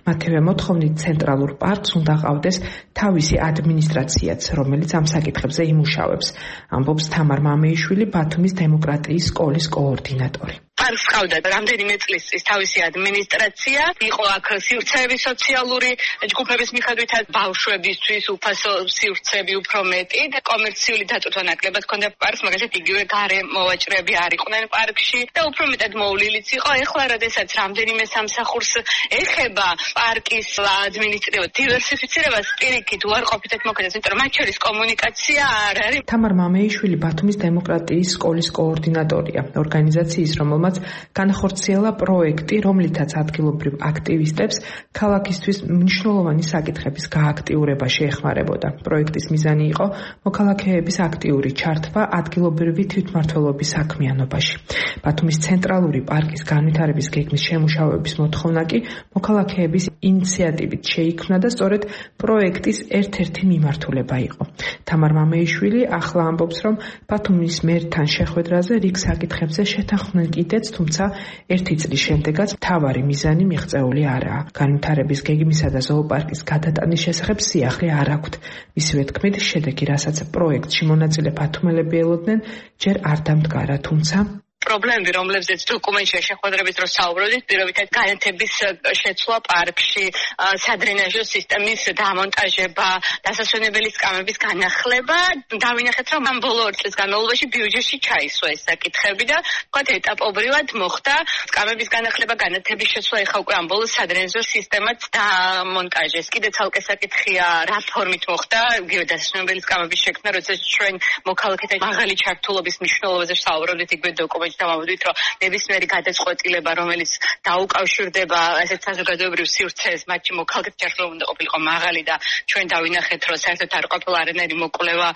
მათივე მოთხოვნით ცენტრალურ პარკს უნდა ყავდეს თავისი ადმინისტრაციაც, რომელიც ამ საკითხებზე იმუშავებს, ამბობს თამარ მამეიშვილი, ბათუმის დემოკრატიის სკოლის კოორდინატორი. პარკს ყავდა რამდენიმე წლის წინ თავისი ადმინისტრაცია, იყო აქ სივრცეების სოციალური ჯგუფების მიხედვითაც ბავშვებისთვის უფასო სივრცეები უფრო მეტი და კომერციული დაწვრთნა ნაკლებად ჰქონდა პარკს, მაგალითად იგივე გარე მოვაჭრეები არ იყვნენ პარკში და უფრო მეტად მოვლილიც იყო. ეხლა როდესაც რამდენიმე სამსახურს ეხება პარკის ადმინისტრირება დივერსიფიცირებას, პირიქით უარყოფითად მოქმედებს, იმიტომ რომ მათ შორის კომუნიკაცია არ არის. თამარ მამეიშვილი ბათუმის დემოკრატიის სკოლის კოორდინატორია, ორგანიზაციის, რომელმაც განახორციელა პროექტი, რომლითაც ადგილობრივ აქტივისტებს ქალაქისთვის მნიშვნელოვანი საკითხების გააქტიურება შეეხმარებოდა. პროექტის მიზანი იყო მოქალაქეების აქტიური ჩართვა ადგილობრივი თვითმმართველობის საქმიანობაში. ბათუმის ცენტრალური პარკის განვითარების გეგმის შემუშავების მოთხოვნა კი მოქალაქეების ინიციატივით შეიქმნა და სწორედ პროექტის ერთ-ერთი მიმართულება იყო. თამარ მამეიშვილი ახლა ამბობს, რომ ბათუმის მერთან შეხვედრაზე რიგ საკითხებზე შეთანხმდნენ კიდეც, თუმცა ერთი წლის შემდეგაც მთავარი მიზანი მიღწეული არაა. განვითარების გეგმისა და ზოოპარკის გადატანის შესახებ სიახლე არ აქვთ. მისივე თქმით, შედეგი, რასაც პროექტში მონაწილე ბათუმელები ელოდნენ, ჯერ არ დამდგარა, თუმცა პრობლემები, რომლებზეც დოკუმენტში შეხვედრების დროს საუბრობდით, პირობითად განათების შეცვლა პარკში, სადრენაჟო სისტემის დამონტაჟება, დასასვენებელი სკამების განახლება, დავინახეთ, რომ ამ ბოლო ორი წლის განმავლობაში ბიუჯეტში ჩაისვა ეს საკითხები და ვთქვათ, ეტაპობრივად მოხდა სკამების განახლება, განათების შეცვლა, ეხლა უკვე ამ ბოლოს სადრენაჟო სისტემაც დამონტაჟეს. კიდე ცალკე საკითხია, რა ფორმით მოხდა იგივე დასასვენებელი სკამების შექმნა, როდესაც ჩვენ მოქალაქეთა მაღალი ჩართულობის მნიშვნელობაზე ვსაუბრობდით იგივე დოკუმენტში. დავამბობთ, რომ ნებისმიერი გადაწყვეტილება, რომელიც დაუკავშირდება ესეთ საზოგადოებრივ სივრცეს, მათში მოქალაქეთა ჩართულობა უნდა ყოფილიყო მაღალი და ჩვენ დავინახეთ, რომ საერთოდ არ ყოფილა არანაირი მოკვლევა,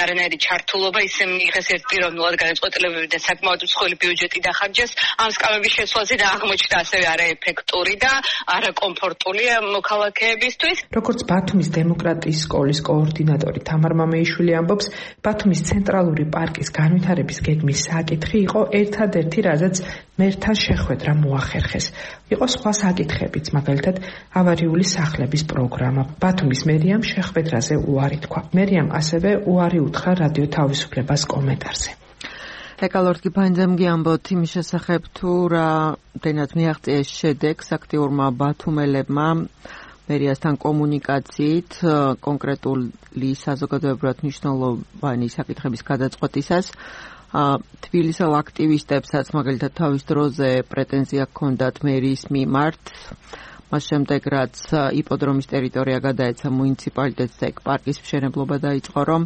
არანაირი ჩართულობა, ისე მიიღეს ერთპიროვნულად გადაწყვეტილებები და საკმაოდ მსხვილი ბიუჯეტი დახარჯეს ამ სკამების შეცვლაზე და აღმოჩნდა ასევე არაეფექტური და არაკომფორტული მოქალაქეებისთვის. როგორც ბათუმის დემოკრატიის სკოლის კოორდინატორი თამარ მამეიშვილი ამბობს, ბათუმის ცენტრალური პარკის განვითარების გეგმის საკითხი იყო ერთადერთი, რაზეც მერთან შეხვედრა მოახერხეს. იყო სხვა საკითხებიც, მაგალითად, ავარიული სახლების პროგრამა. ბათუმის მერიამ შეხვედრაზე უარი თქვა. მერიამ ასევე უარი უთხრა რადიო თავისუფლებას კომენტარზე. ეკალორტი ფანძემგი ამბობთ იმის შესახებ, თუ რამდენად მიაღწიეს შედეგს აქტიურმა ბათუმელებმა მერიასთან კომუნიკაციით კონკრეტული საზოგადოებრივად მნიშვნელოვანი საკითხების გადაწყვეტისას. თბილისელ აქტივისტებსაც მაგალითად თავის დროზე პრეტენზია ჰქონდათ მერის მიმართ, მას შემდეგ რაც იპოდრომის ტერიტორია გადაეცა მუნიციპალიტეტს და პარკის მშენებლობა დაიწყო, რომ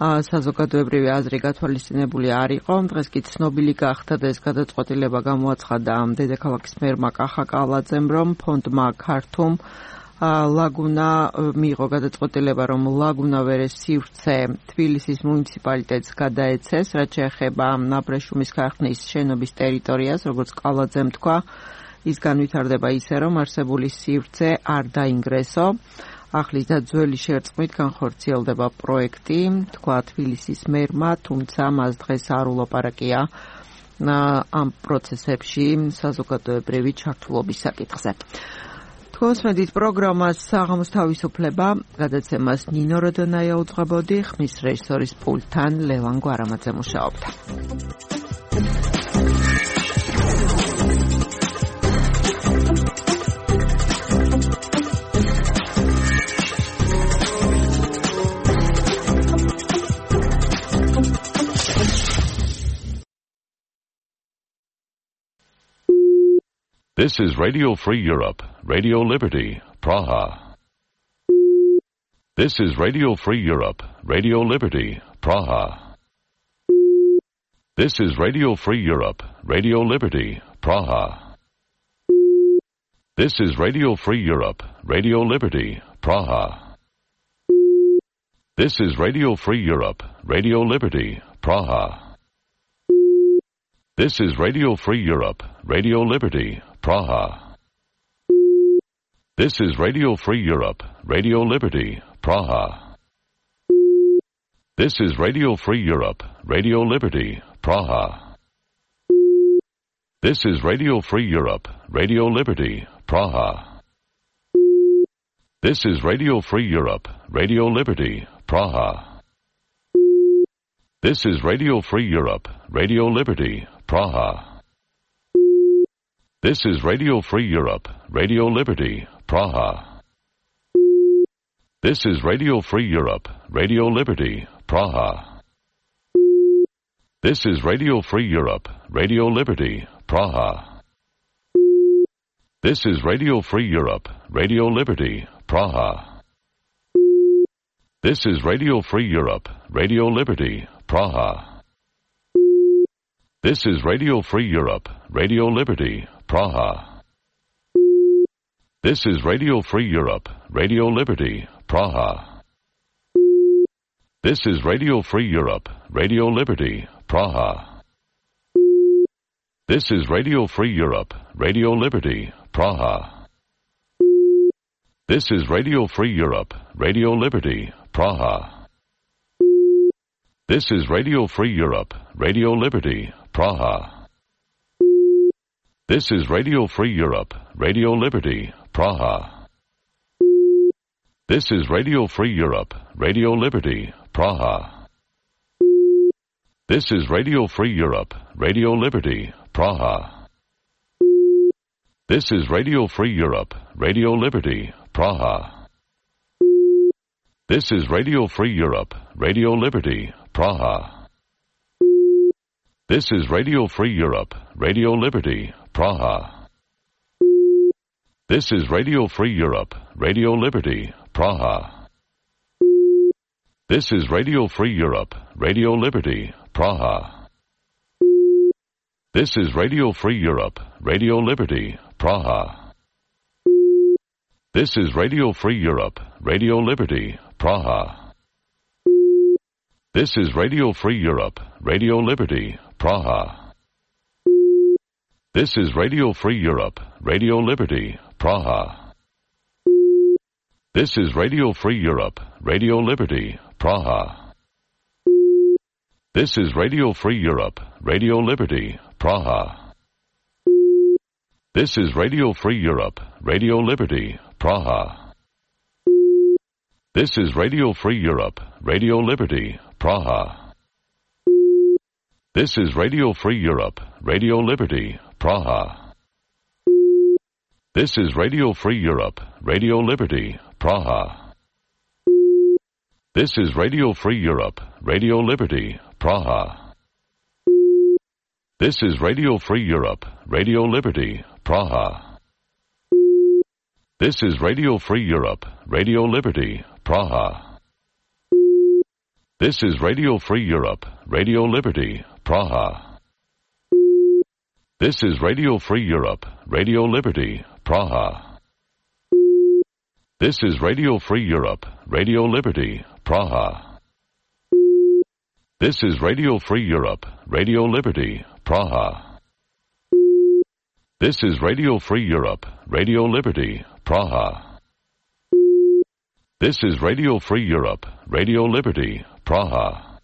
საზოგადოებრივი აზრი გათვალისწინებული არ იყო. დღეს კი ცნობილი გახდა და ეს გადაწყვეტილება გამოაცხადა დედაქალაქის მერმა კახა კალაძემ, რომ ფონდმა ქართუმ ლაგუნა მიიღო გადაწყვეტილება, რომ ლაგუნა ვერეს სივრცე თბილისის მუნიციპალიტეტს გადაეცეს, რაც შეეხება ნაბრეშუმის ქარხნის შენობის ტერიტორიას, როგორც კალაძემ თქვა, ის განვითარდება ისე, რომ არსებული სივრცე არ დაინგრესო. ახლის და ძველი შერწყმით განხორციელდება პროექტი, თქვა თბილისის მერმა, თუმცა მას დღეს არ ულაპარაკია ამ პროცესებში საზოგადოებრივი ჩართულობის საკითხზე. თქოსმედით პროგრამას საღამოს თავისუფლება, გადაცემას ნინო როდონაია უძღვებოდი, ხმის რეჟისორის პულტთან ლევან გვარამაძე მუშაობდა. This is Radio Free Europe, Radio Liberty, Praha. This is Radio Free Europe, Radio Liberty, Praha. This is Radio Free Europe, Radio Liberty, Praha. This is Radio Free Europe, Radio Liberty, Praha. This is Radio Free Europe, Radio Liberty, Praha. This is Radio Free Europe, Radio Liberty, Praha. This is Radio Free Europe, Radio Liberty, Praha. This is Radio Free Europe, Radio Liberty, Praha. This is Radio Free Europe, Radio Liberty, Praha. This is Radio Free Europe, Radio Liberty, Praha. This is Radio Free Europe, Radio Liberty, Praha. This is Radio Free Europe, Radio Liberty, Praha. This is Radio Free Europe, Radio Liberty, Praha. This is Radio Free Europe, Radio Liberty, Praha. This is Radio Free Europe, Radio Liberty, Praha. This is Radio Free Europe, Radio Liberty, Praha. This is Radio Free Europe, Radio Liberty, Praha. This is Radio Free Europe, Radio Liberty, Praha. This is Radio Free Europe, Radio Liberty, Praha. This is Radio Free Europe, Radio Liberty, Praha. This is Radio Free Europe, Radio Liberty, Praha. This is Radio Free Europe, Radio Liberty, Praha. This is Radio Free Europe, Radio Liberty, Praha. This is Radio Free Europe, Radio Liberty, Praha. This is Radio Free Europe, Radio Liberty, Praha. This is Radio Free Europe, Radio Liberty, Praha. This is Radio Free Europe, Radio Liberty, Praha. This is Radio Free Europe, Radio Liberty, Praha. This is Radio Free Europe, Radio Liberty, Praha. This is Radio Free Europe, Radio Liberty, Praha. This is Radio Free Europe, Radio Liberty, Praha. This is Radio Free Europe, Radio Liberty, Praha. This is Radio Free Europe, Radio Liberty, Praha. This is Radio Free Europe, Radio Liberty, Praha. This is Radio Free Europe, Radio Liberty, Praha. This is Radio Free Europe, Radio Liberty, Praha. This is Radio Free Europe, Radio Liberty, Praha. This is Radio Free Europe, Radio Liberty, Praha. This is Radio Free Europe, Radio Liberty, Praha. This is Radio Free Europe, Radio Liberty, Praha. This is Radio Free Europe, Radio Liberty, Praha. This is Radio Free Europe, Radio Liberty, Praha. This is Radio Free Europe, Radio Liberty, Praha. This is Radio Free Europe, Radio Liberty, Praha. This is Radio Free Europe, Radio Liberty, Praha. This is Radio Free Europe, Radio Liberty, Praha. This is Radio Free Europe, Radio Liberty, Praha. This is Radio Free Europe, Radio Liberty, Praha. This is Radio Free Europe, Radio Liberty, Praha.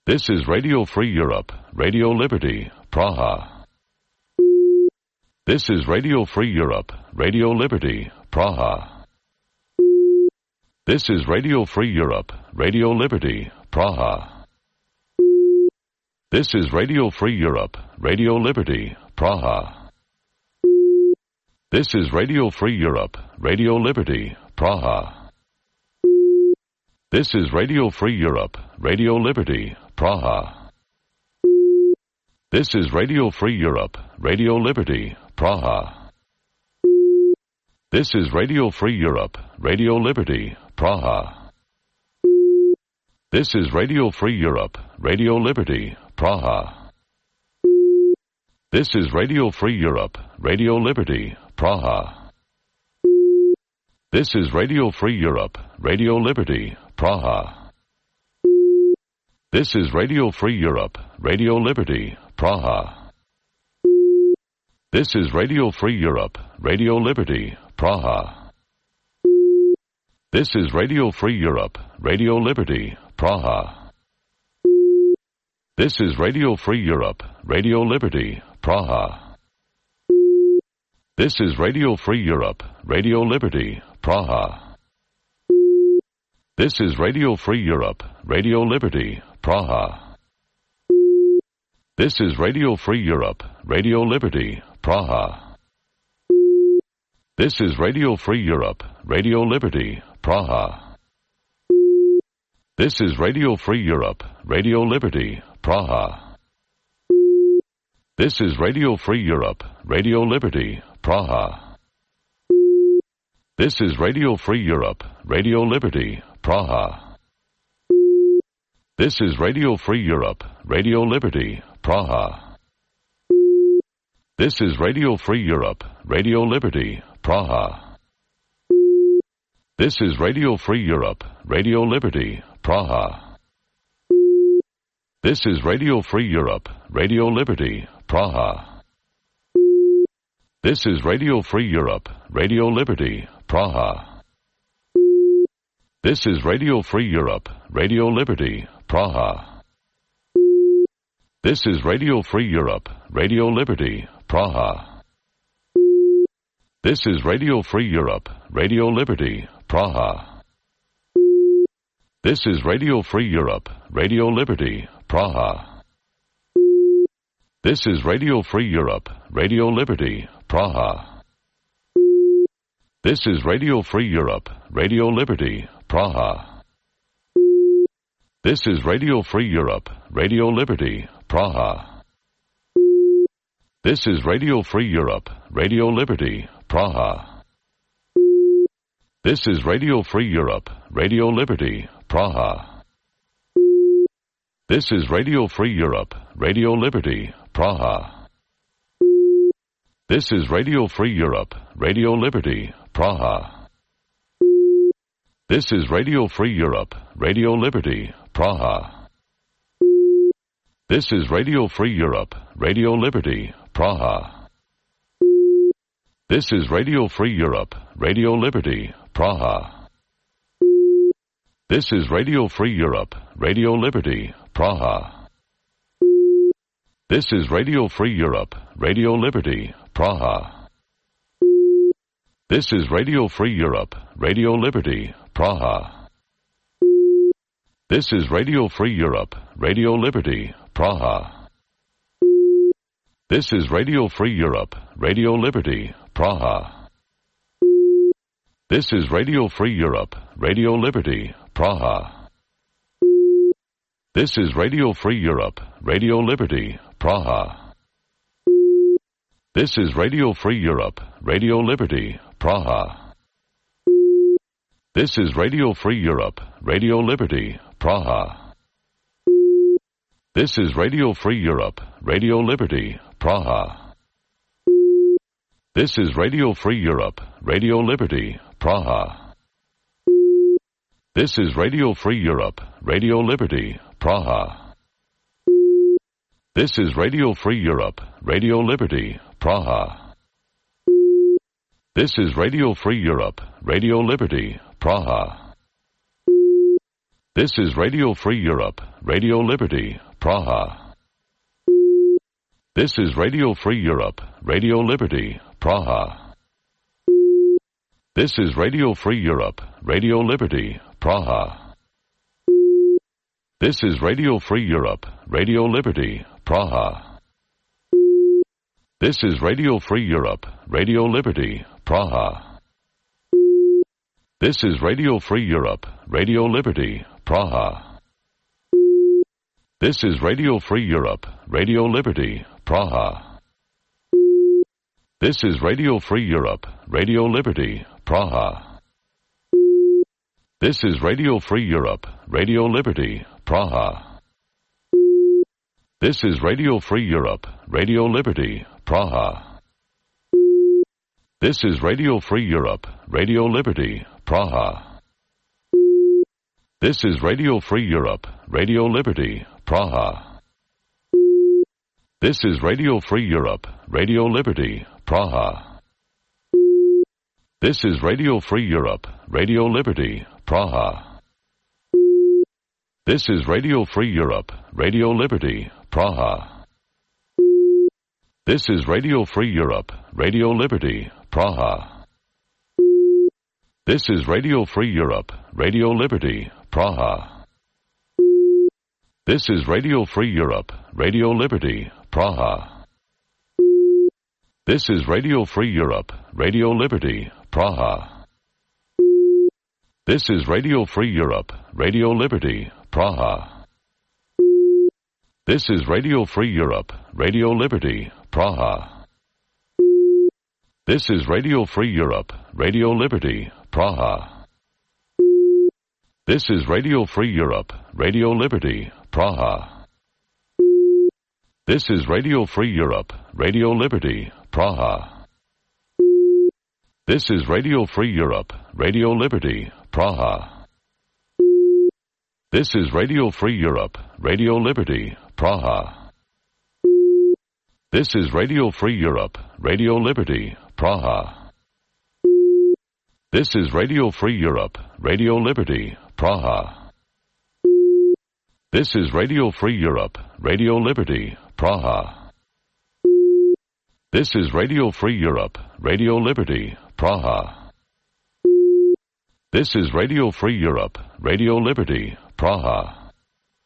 This is Radio Free Europe, Radio Liberty, Praha. This is Radio Free Europe, Radio Liberty, Praha. This is Radio Free Europe, Radio Liberty, Praha. This is Radio Free Europe, Radio Liberty, Praha. This is Radio Free Europe, Radio Liberty, Praha. This is Radio Free Europe, Radio Liberty, Praha. This is Radio Free Europe, Radio Liberty, Praha. This is Radio Free Europe, Radio Liberty, Praha. This is Radio Free Europe, Radio Liberty, Praha. This is Radio Free Europe, Radio Liberty, Praha. This is Radio Free Europe, Radio Liberty, Praha. This is Radio Free Europe, Radio Liberty, Praha. This is Radio Free Europe, Radio Liberty, Praha. This is Radio Free Europe, Radio Liberty, Praha. This is Radio Free Europe, Radio Liberty, Praha. This is Radio Free Europe, Radio Liberty, Praha. This is Radio Free Europe, Radio Liberty, Praha. This is Radio Free Europe, Radio Liberty, Praha. This is Radio Free Europe, Radio Liberty, Praha. This is Radio Free Europe, Radio Liberty, Praha. This is Radio Free Europe, Radio Liberty, Praha. This is Radio Free Europe, Radio Liberty, Praha. This is Radio Free Europe, Radio Liberty, Praha. This is Radio Free Europe, Radio Liberty, Praha. This is Radio Free Europe, Radio Liberty, Praha. This is Radio Free Europe, Radio Liberty, Praha. This is Radio Free Europe, Radio Liberty, Praha. This is Radio Free Europe, Radio Liberty, Praha. This is Radio Free Europe, Radio Liberty, Praha. This is Radio Free Europe, Radio Liberty, Praha. This is Radio Free Europe, Radio Liberty, Praha. This is Radio Free Europe, Radio Liberty, Praha. This is Radio Free Europe, Radio Liberty, Praha. This is Radio Free Europe, Radio Liberty, Praha. This is Radio Free Europe, Radio Liberty, Praha. This is Radio Free Europe, Radio Liberty, Praha. This is Radio Free Europe, Radio Liberty, Praha. This is Radio Free Europe, Radio Liberty, Praha. This is Radio Free Europe, Radio Liberty, Praha. This is Radio Free Europe, Radio Liberty, Praha. This is Radio Free Europe, Radio Liberty, Praha. This is Radio Free Europe, Radio Liberty, Praha. This is Radio Free Europe, Radio Liberty, Praha. This is Radio Free Europe, Radio Liberty, Praha. This is Radio Free Europe, Radio Liberty, Praha. This is Radio Free Europe, Radio Liberty, Praha. This is Radio Free Europe, Radio Liberty, Praha. This is Radio Free Europe, Radio Liberty, Praha. This is Radio Free Europe, Radio Liberty, Praha. This is Radio Free Europe, Radio Liberty, Praha. This is Radio Free Europe, Radio Liberty, Praha. This is Radio Free Europe, Radio Liberty, Praha. This is Radio Free Europe, Radio Liberty, Praha. This is Radio Free Europe, Radio Liberty, Praha. This is Radio Free Europe, Radio Liberty, Praha. This is Radio Free Europe, Radio Liberty, Praha. This is Radio Free Europe, Radio Liberty, Praha. This is Radio Free Europe, Radio Liberty, Praha. This is Radio Free Europe, Radio Liberty, Praha. This is Radio Free Europe, Radio Liberty, Praha. This is Radio Free Europe, Radio Liberty, Praha. This is Radio Free Europe, Radio Liberty, Praha. This is Radio Free Europe, Radio Liberty, Praha. This is Radio Free Europe, Radio Liberty, Praha. This is Radio Free Europe, Radio Liberty, Praha. This is Radio Free Europe, Radio Liberty, Praha. This is Radio Free Europe, Radio Liberty, Praha. This is Radio Free Europe, Radio Liberty, Praha. This is Radio Free Europe, Radio Liberty, Praha. This is Radio Free Europe, Radio Liberty, Praha. This is Radio Free Europe, Radio Liberty, Praha. This is Radio Free Europe, Radio Liberty, Praha. This is Radio Free Europe, Radio Liberty, Praha. This is Radio Free Europe, Radio Liberty, Praha. This is Radio Free Europe, Radio Liberty, Praha. This is Radio Free Europe, Radio Liberty, Praha. This is Radio Free Europe, Radio Liberty, Praha. This is Radio Free Europe, Radio Liberty, Praha. This is Radio Free Europe, Radio Liberty, Praha. This is Radio Free Europe, Radio Liberty, Praha. This is Radio Free Europe, Radio Liberty, Praha. This is Radio Free Europe, Radio Liberty, Praha. This is Radio Free Europe, Radio Liberty, Praha. This is Radio Free Europe, Radio Liberty, Praha. This is Radio Free Europe, Radio Liberty, Praha. This is Radio Free Europe, Radio Liberty, Praha.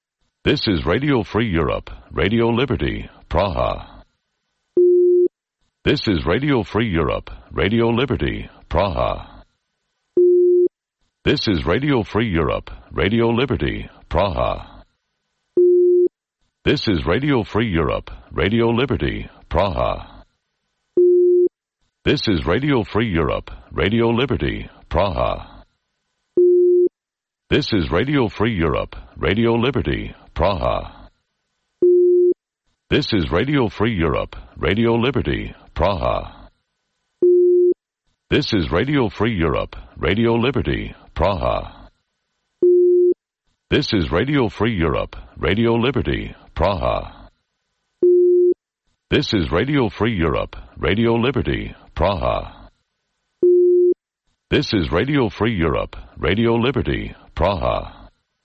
This is Radio Free Europe, Radio Liberty, Praha. This is Radio Free Europe, Radio Liberty, Praha. This is Radio Free Europe, Radio Liberty, Praha. This is Radio Free Europe, Radio Liberty, Praha. This is Radio Free Europe, Radio Liberty, Praha. This is Radio Free Europe, Radio Liberty, Praha. This is Radio Free Europe, Radio Liberty, Praha. This is Radio Free Europe, Radio Liberty, Praha. This is Radio Free Europe, Radio Liberty, Praha. This is Radio Free Europe, Radio Liberty, Praha. This is Radio Free Europe, Radio Liberty, Praha.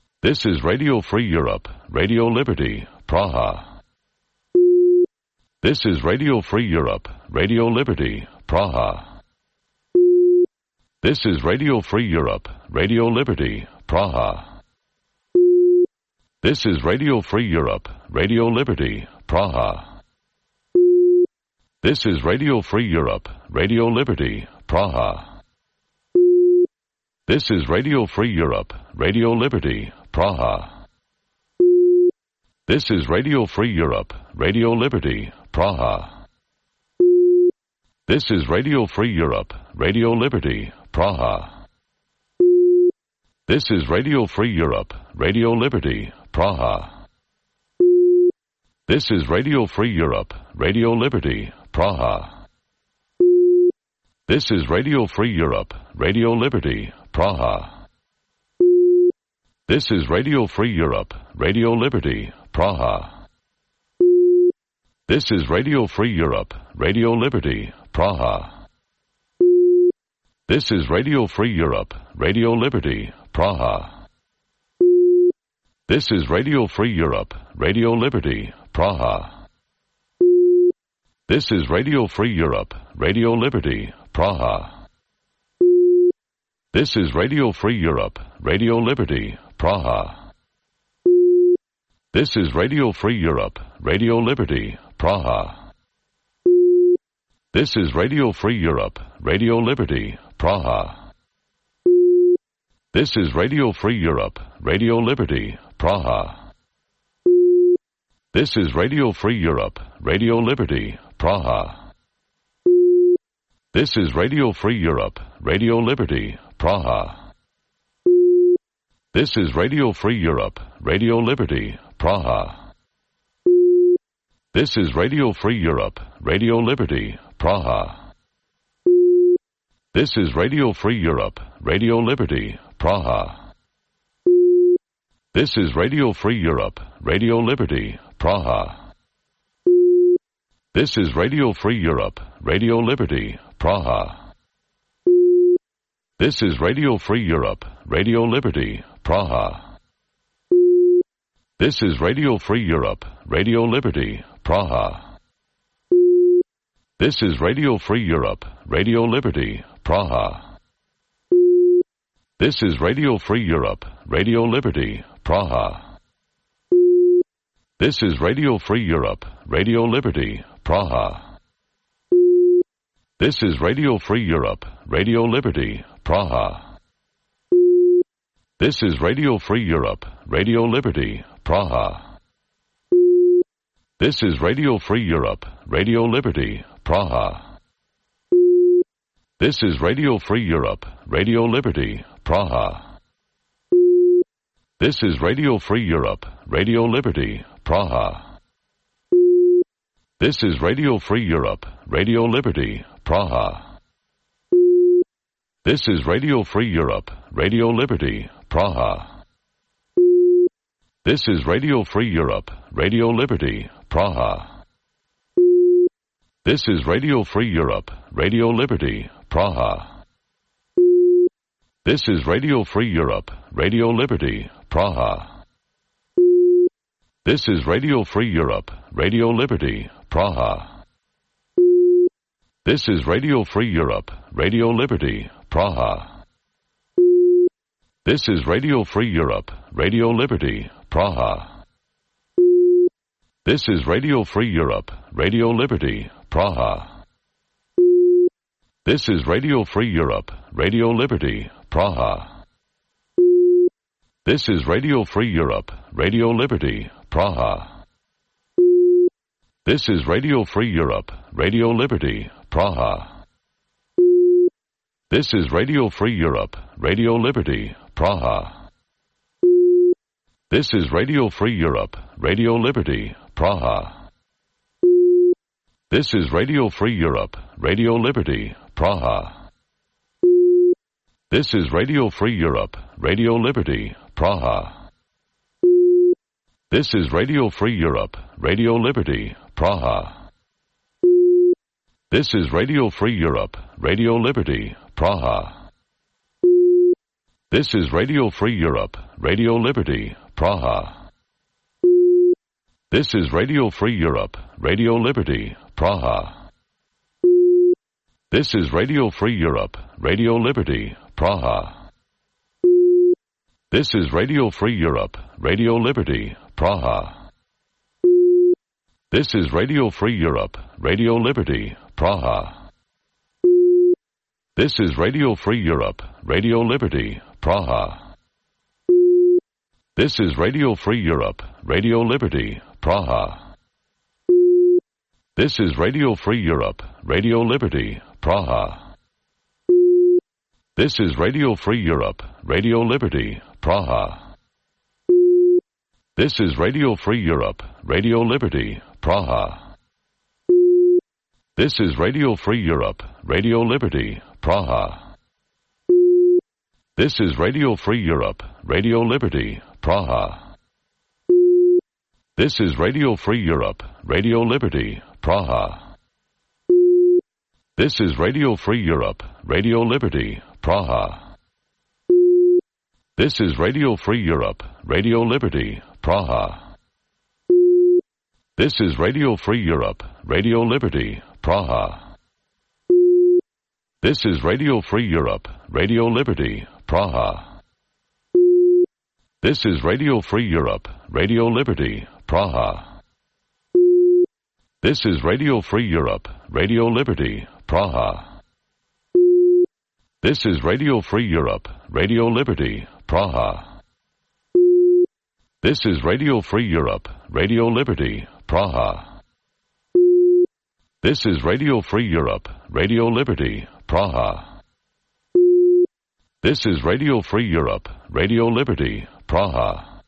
This is Radio Free Europe, Radio Liberty, Praha. This is Radio Free Europe, Radio Liberty, Praha. This is Radio Free Europe, Radio Liberty, Praha. This is Radio Free Europe, Radio Liberty, Praha. This is Radio Free Europe, Radio Liberty, Praha. This is Radio Free Europe, Radio Liberty, Praha. This is Radio Free Europe, Radio Liberty, Praha. This is Radio Free Europe, Radio Liberty, Praha. This is Radio Free Europe, Radio Liberty, Praha. This is Radio Free Europe, Radio Liberty, Praha. This is Radio Free Europe, Radio Liberty, Praha. This is Radio Free Europe, Radio Liberty, Praha. This is Radio Free Europe, Radio Liberty, Praha. This is Radio Free Europe, Radio Liberty, Praha. This is Radio Free Europe, Radio Liberty, Praha. This is Radio Free Europe, Radio Liberty, Praha. This is Radio Free Europe, Radio Liberty, Praha. This is Radio Free Europe, Radio Liberty, Praha. This is Radio Free Europe, Radio Liberty, Praha. This is Radio Free Europe, Radio Liberty, Praha. This is Radio Free Europe, Radio Liberty, Praha. This is Radio Free Europe, Radio Liberty, Praha. This is Radio Free Europe, Radio Liberty, Praha. This is Radio Free Europe, Radio Liberty, Praha. This is Radio Free Europe, Radio Liberty, Praha. This is Radio Free Europe, Radio Liberty, Praha. This is Radio Free Europe, Radio Liberty, Praha. This is Radio Free Europe, Radio Liberty, Praha. This is Radio Free Europe, Radio Liberty, Praha. This is Radio Free Europe, Radio Liberty, Praha. This is Radio Free Europe, Radio Liberty, Praha. This is Radio Free Europe, Radio Liberty, Praha. This is Radio Free Europe, Radio Liberty, Praha. This is Radio Free Europe, Radio Liberty, Praha. This is Radio Free Europe, Radio Liberty, Praha. This is Radio Free Europe, Radio Liberty, Praha. This is Radio Free Europe, Radio Liberty, Praha. This is Radio Free Europe, Radio Liberty, Praha. This is Radio Free Europe, Radio Liberty, Praha. This is Radio Free Europe, Radio Liberty, Praha. This is Radio Free Europe, Radio Liberty, Praha. This is Radio Free Europe, Radio Liberty, Praha. This is Radio Free Europe, Radio Liberty, Praha. This is Radio Free Europe, Radio Liberty, Praha. This is Radio Free Europe, Radio Liberty, Praha. This is Radio Free Europe, Radio Liberty, Praha. This is Radio Free Europe, Radio Liberty, Praha. This is Radio Free Europe, Radio Liberty, Praha. This is Radio Free Europe, Radio Liberty, Praha. This is Radio Free Europe, Radio Liberty, Praha. This is Radio Free Europe, Radio Liberty, Praha. This is Radio Free Europe, Radio Liberty, Praha. This is Radio Free Europe, Radio Liberty, Praha. This is Radio Free Europe, Radio Liberty, Praha. This is Radio Free Europe, Radio Liberty, Praha. This is Radio Free Europe, Radio Liberty, Praha. This is Radio Free Europe, Radio Liberty, Praha. This is Radio Free Europe, Radio Liberty, Praha. This is Radio Free Europe, Radio Liberty, Praha. This is Radio Free Europe, Radio Liberty, Praha. This is Radio Free Europe, Radio Liberty, Praha. This is Radio Free Europe, Radio Liberty, Praha. This is Radio Free Europe, Radio Liberty, Praha. This is Radio Free Europe, Radio Liberty, Praha. This is Radio Free Europe, Radio Liberty, Praha. This is Radio Free Europe, Radio Liberty, Praha. This is Radio Free Europe, Radio Liberty, Praha. This is Radio Free Europe, Radio Liberty, Praha. This is Radio Free Europe, Radio Liberty, Praha. This is Radio Free Europe, Radio Liberty, Praha. This is Radio Free Europe, Radio Liberty, Praha. This is Radio Free Europe, Radio Liberty, Praha. This is Radio Free Europe, Radio Liberty, Praha. This is Radio Free Europe, Radio Liberty, Praha. This is Radio Free Europe, Radio Liberty, Praha. This is Radio Free Europe, Radio Liberty, Praha. This is Radio Free Europe, Radio Liberty, Praha. This is Radio Free Europe, Radio Liberty, Praha.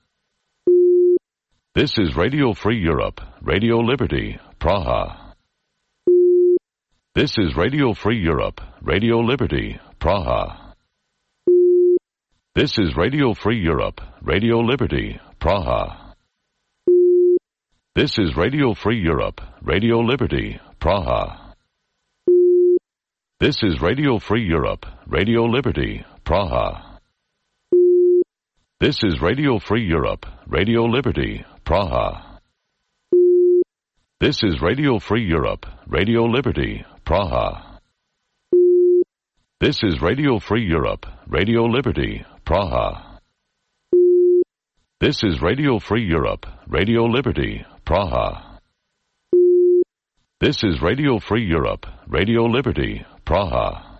This is Radio Free Europe, Radio Liberty, Praha. This is Radio Free Europe, Radio Liberty, Praha. This is Radio Free Europe, Radio Liberty, Praha. This is Radio Free Europe, Radio Liberty, Praha. This is Radio Free Europe, Radio Liberty, Praha. This is Radio Free Europe, Radio Liberty, Praha. This is Radio Free Europe, Radio Liberty, Praha. This is Radio Free Europe, Radio Liberty, Praha. This is Radio Free Europe, Radio Liberty, Praha. This is Radio Free Europe, Radio Liberty, Praha.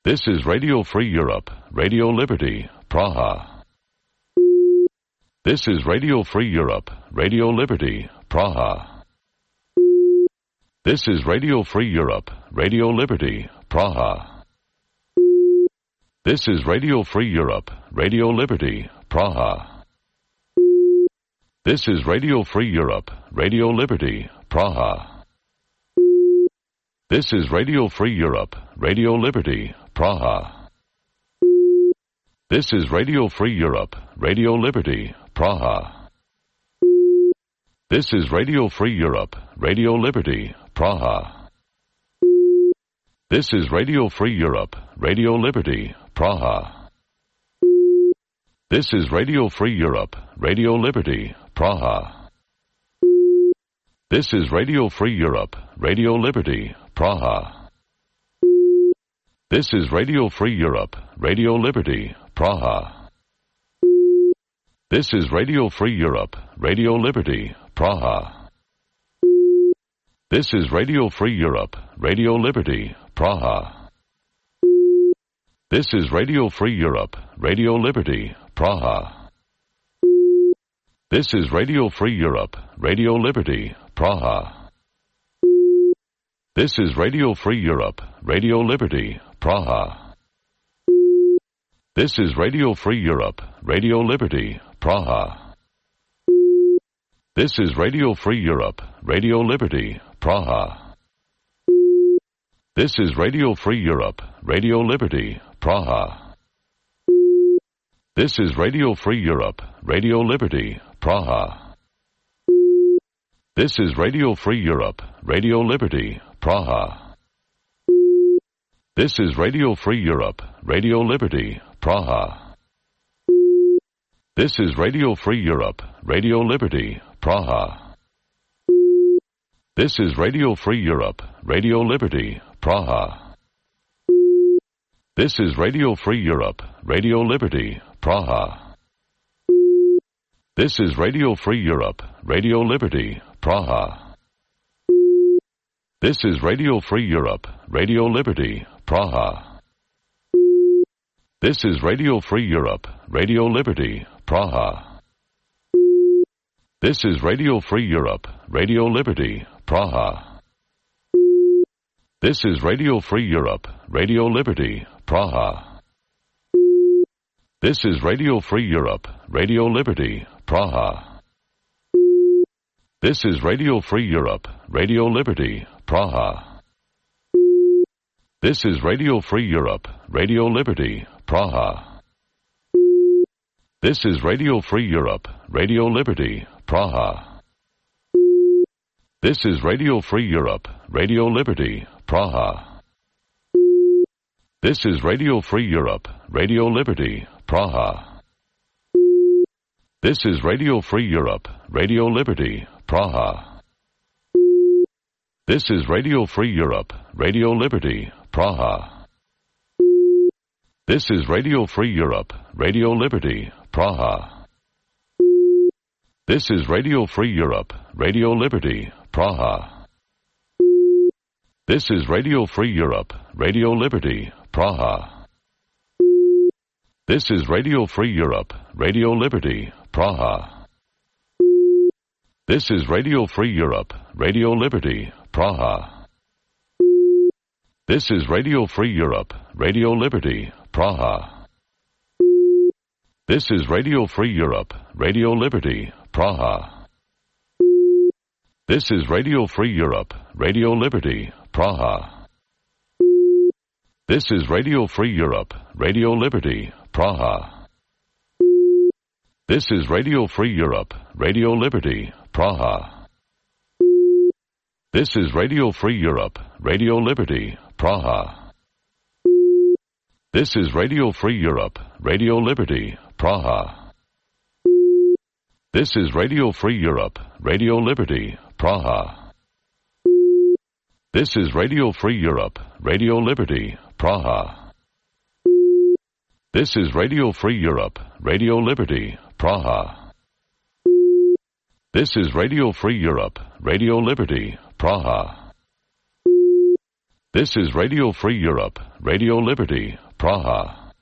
This is Radio Free Europe, Radio Liberty, Praha. This is Radio Free Europe, Radio Liberty, Praha. This is Radio Free Europe, Radio Liberty, Praha. This is Radio Free Europe, Radio Liberty, Praha. This is Radio Free Europe, Radio Liberty, Praha. This is Radio Free Europe, Radio Liberty, Praha. This is Radio Free Europe, Radio Liberty, Praha. This is Radio Free Europe, Radio Liberty, Praha. This is Radio Free Europe, Radio Liberty, Praha. This is Radio Free Europe, Radio Liberty, Praha. This is Radio Free Europe, Radio Liberty, Praha. This is Radio Free Europe, Radio Liberty, Praha. This is Radio Free Europe, Radio Liberty, Praha. This is Radio Free Europe, Radio Liberty, Praha. This is Radio Free Europe, Radio Liberty, Praha. This is Radio Free Europe, Radio Liberty, Praha. This is Radio Free Europe, Radio Liberty, Praha. This is Radio Free Europe, Radio Liberty, Praha. This is Radio Free Europe, Radio Liberty, Praha. This is Radio Free Europe, Radio Liberty, Praha. This is Radio Free Europe, Radio Liberty, Praha. This is Radio Free Europe, Radio Liberty, Praha. This is Radio Free Europe, Radio Liberty, Praha. This is Radio Free Europe, Radio Liberty, Praha. This is Radio Free Europe, Radio Liberty, Praha. This is Radio Free Europe, Radio Liberty, Praha. This is Radio Free Europe, Radio Liberty, Praha. This is Radio Free Europe, Radio Liberty, Praha. This is Radio Free Europe, Radio Liberty, Praha. This is Radio Free Europe, Radio Liberty, Praha. This is Radio Free Europe, Radio Liberty, Praha. This is Radio Free Europe, Radio Liberty, Praha. This is Radio Free Europe, Radio Liberty, Praha. This is Radio Free Europe, Radio Liberty, Praha. This is Radio Free Europe, Radio Liberty, Praha. This is Radio Free Europe, Radio Liberty, Praha. This is Radio Free Europe, Radio Liberty, Praha. This is Radio Free Europe, Radio Liberty, Praha. This is Radio Free Europe, Radio Liberty, Praha. This is Radio Free Europe, Radio Liberty, Praha. This is Radio Free Europe, Radio Liberty, Praha. This is Radio Free Europe, Radio Liberty, Praha. This is Radio Free Europe, Radio Liberty, Praha. This is Radio Free Europe, Radio Liberty, Praha. This is Radio Free Europe, Radio Liberty, Praha. This is Radio Free Europe, Radio Liberty, Praha. This is Radio Free Europe, Radio Liberty, Praha. This is Radio Free Europe, Radio Liberty, Praha. This is Radio Free Europe, Radio Liberty, Praha. This is Radio Free Europe, Radio Liberty, Praha. This is Radio Free Europe, Radio Liberty, Praha. This is Radio Free Europe, Radio Liberty, Praha. This is Radio Free Europe, Radio Liberty, Praha. This is Radio Free Europe, Radio Liberty, Praha. This is Radio Free Europe, Radio Liberty, Praha. This is Radio Free Europe, Radio Liberty, Praha.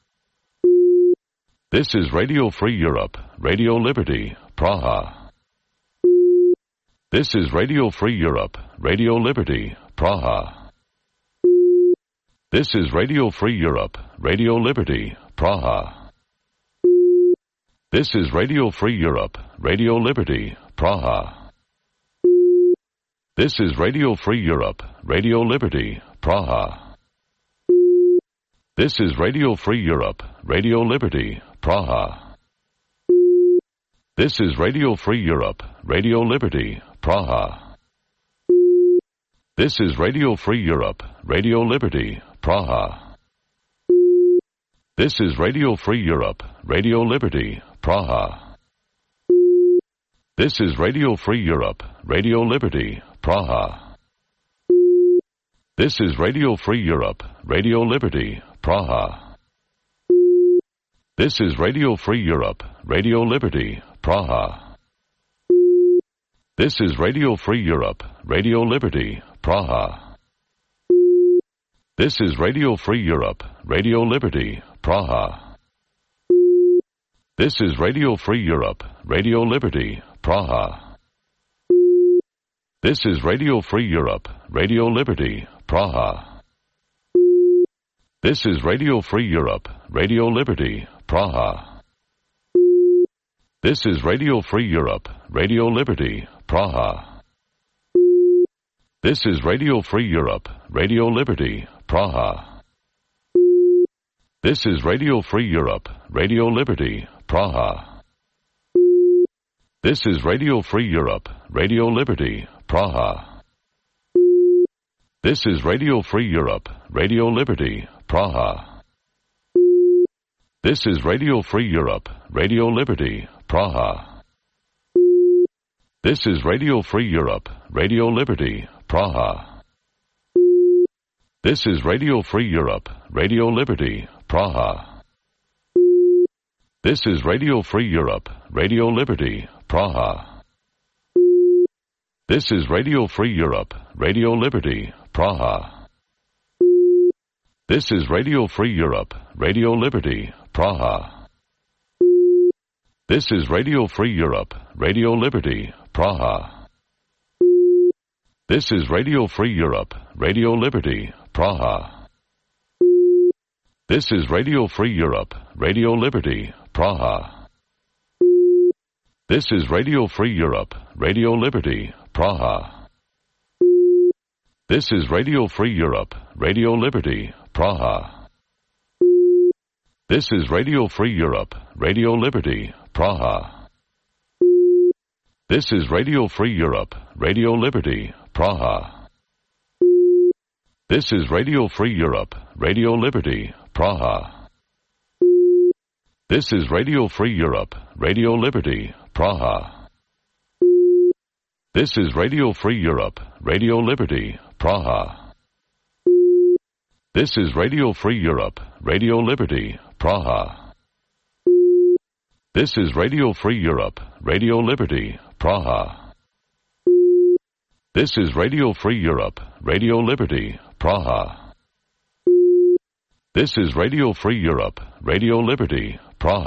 This is Radio Free Europe, Radio Liberty, Praha. This is Radio Free Europe, Radio Liberty, Praha. This is Radio Free Europe, Radio Liberty, Praha. This is Radio Free Europe, Radio Liberty, Praha. This is Radio Free Europe, Radio Liberty, Praha. This is Radio Free Europe, Radio Liberty, Praha. This is Radio Free Europe, Radio Liberty, Praha. This is Radio Free Europe, Radio Liberty, Praha. This is Radio Free Europe, Radio Liberty, Praha. This is Radio Free Europe, Radio Liberty, Praha. This is Radio Free Europe, Radio Liberty, Praha. This is Radio Free Europe, Radio Liberty, Praha. This is Radio Free Europe, Radio Liberty, Praha. This is Radio Free Europe, Radio Liberty, Praha. This is Radio Free Europe, Radio Liberty, Praha. This is Radio Free Europe, Radio Liberty, Praha. This is Radio Free Europe, Radio Liberty, Praha. This is Radio Free Europe, Radio Liberty, Praha. This is Radio Free Europe, Radio Liberty, Praha. This is Radio Free Europe, Radio Liberty, Praha. This is Radio Free Europe, Radio Liberty, Praha. This is Radio Free Europe, Radio Liberty, Praha. This is Radio Free Europe, Radio Liberty, Praha. This is Radio Free Europe, Radio Liberty, Praha. This is Radio Free Europe, Radio Liberty, Praha. This is Radio Free Europe, Radio Liberty, Praha. This is Radio Free Europe, Radio Liberty, Praha. This is Radio Free Europe, Radio Liberty, Praha. This is Radio Free Europe, Radio Liberty, Praha. This is Radio Free Europe, Radio Liberty, Praha. This is Radio Free Europe, Radio Liberty, Praha. This is Radio Free Europe, Radio Liberty, Praha. This is Radio Free Europe, Radio Liberty, Praha. This is Radio Free Europe, Radio Liberty, Praha. This is Radio Free Europe, Radio Liberty, Praha. This is Radio Free Europe, Radio Liberty, Praha. This is Radio Free Europe, Radio Liberty, Praha. This is Radio Free Europe, Radio Liberty, Praha. This is Radio Free Europe, Radio Liberty, Praha. This is Radio Free Europe, Radio Liberty, Praha. This is Radio Free Europe, Radio Liberty, Praha. This is Radio Free Europe, Radio Liberty, Praha.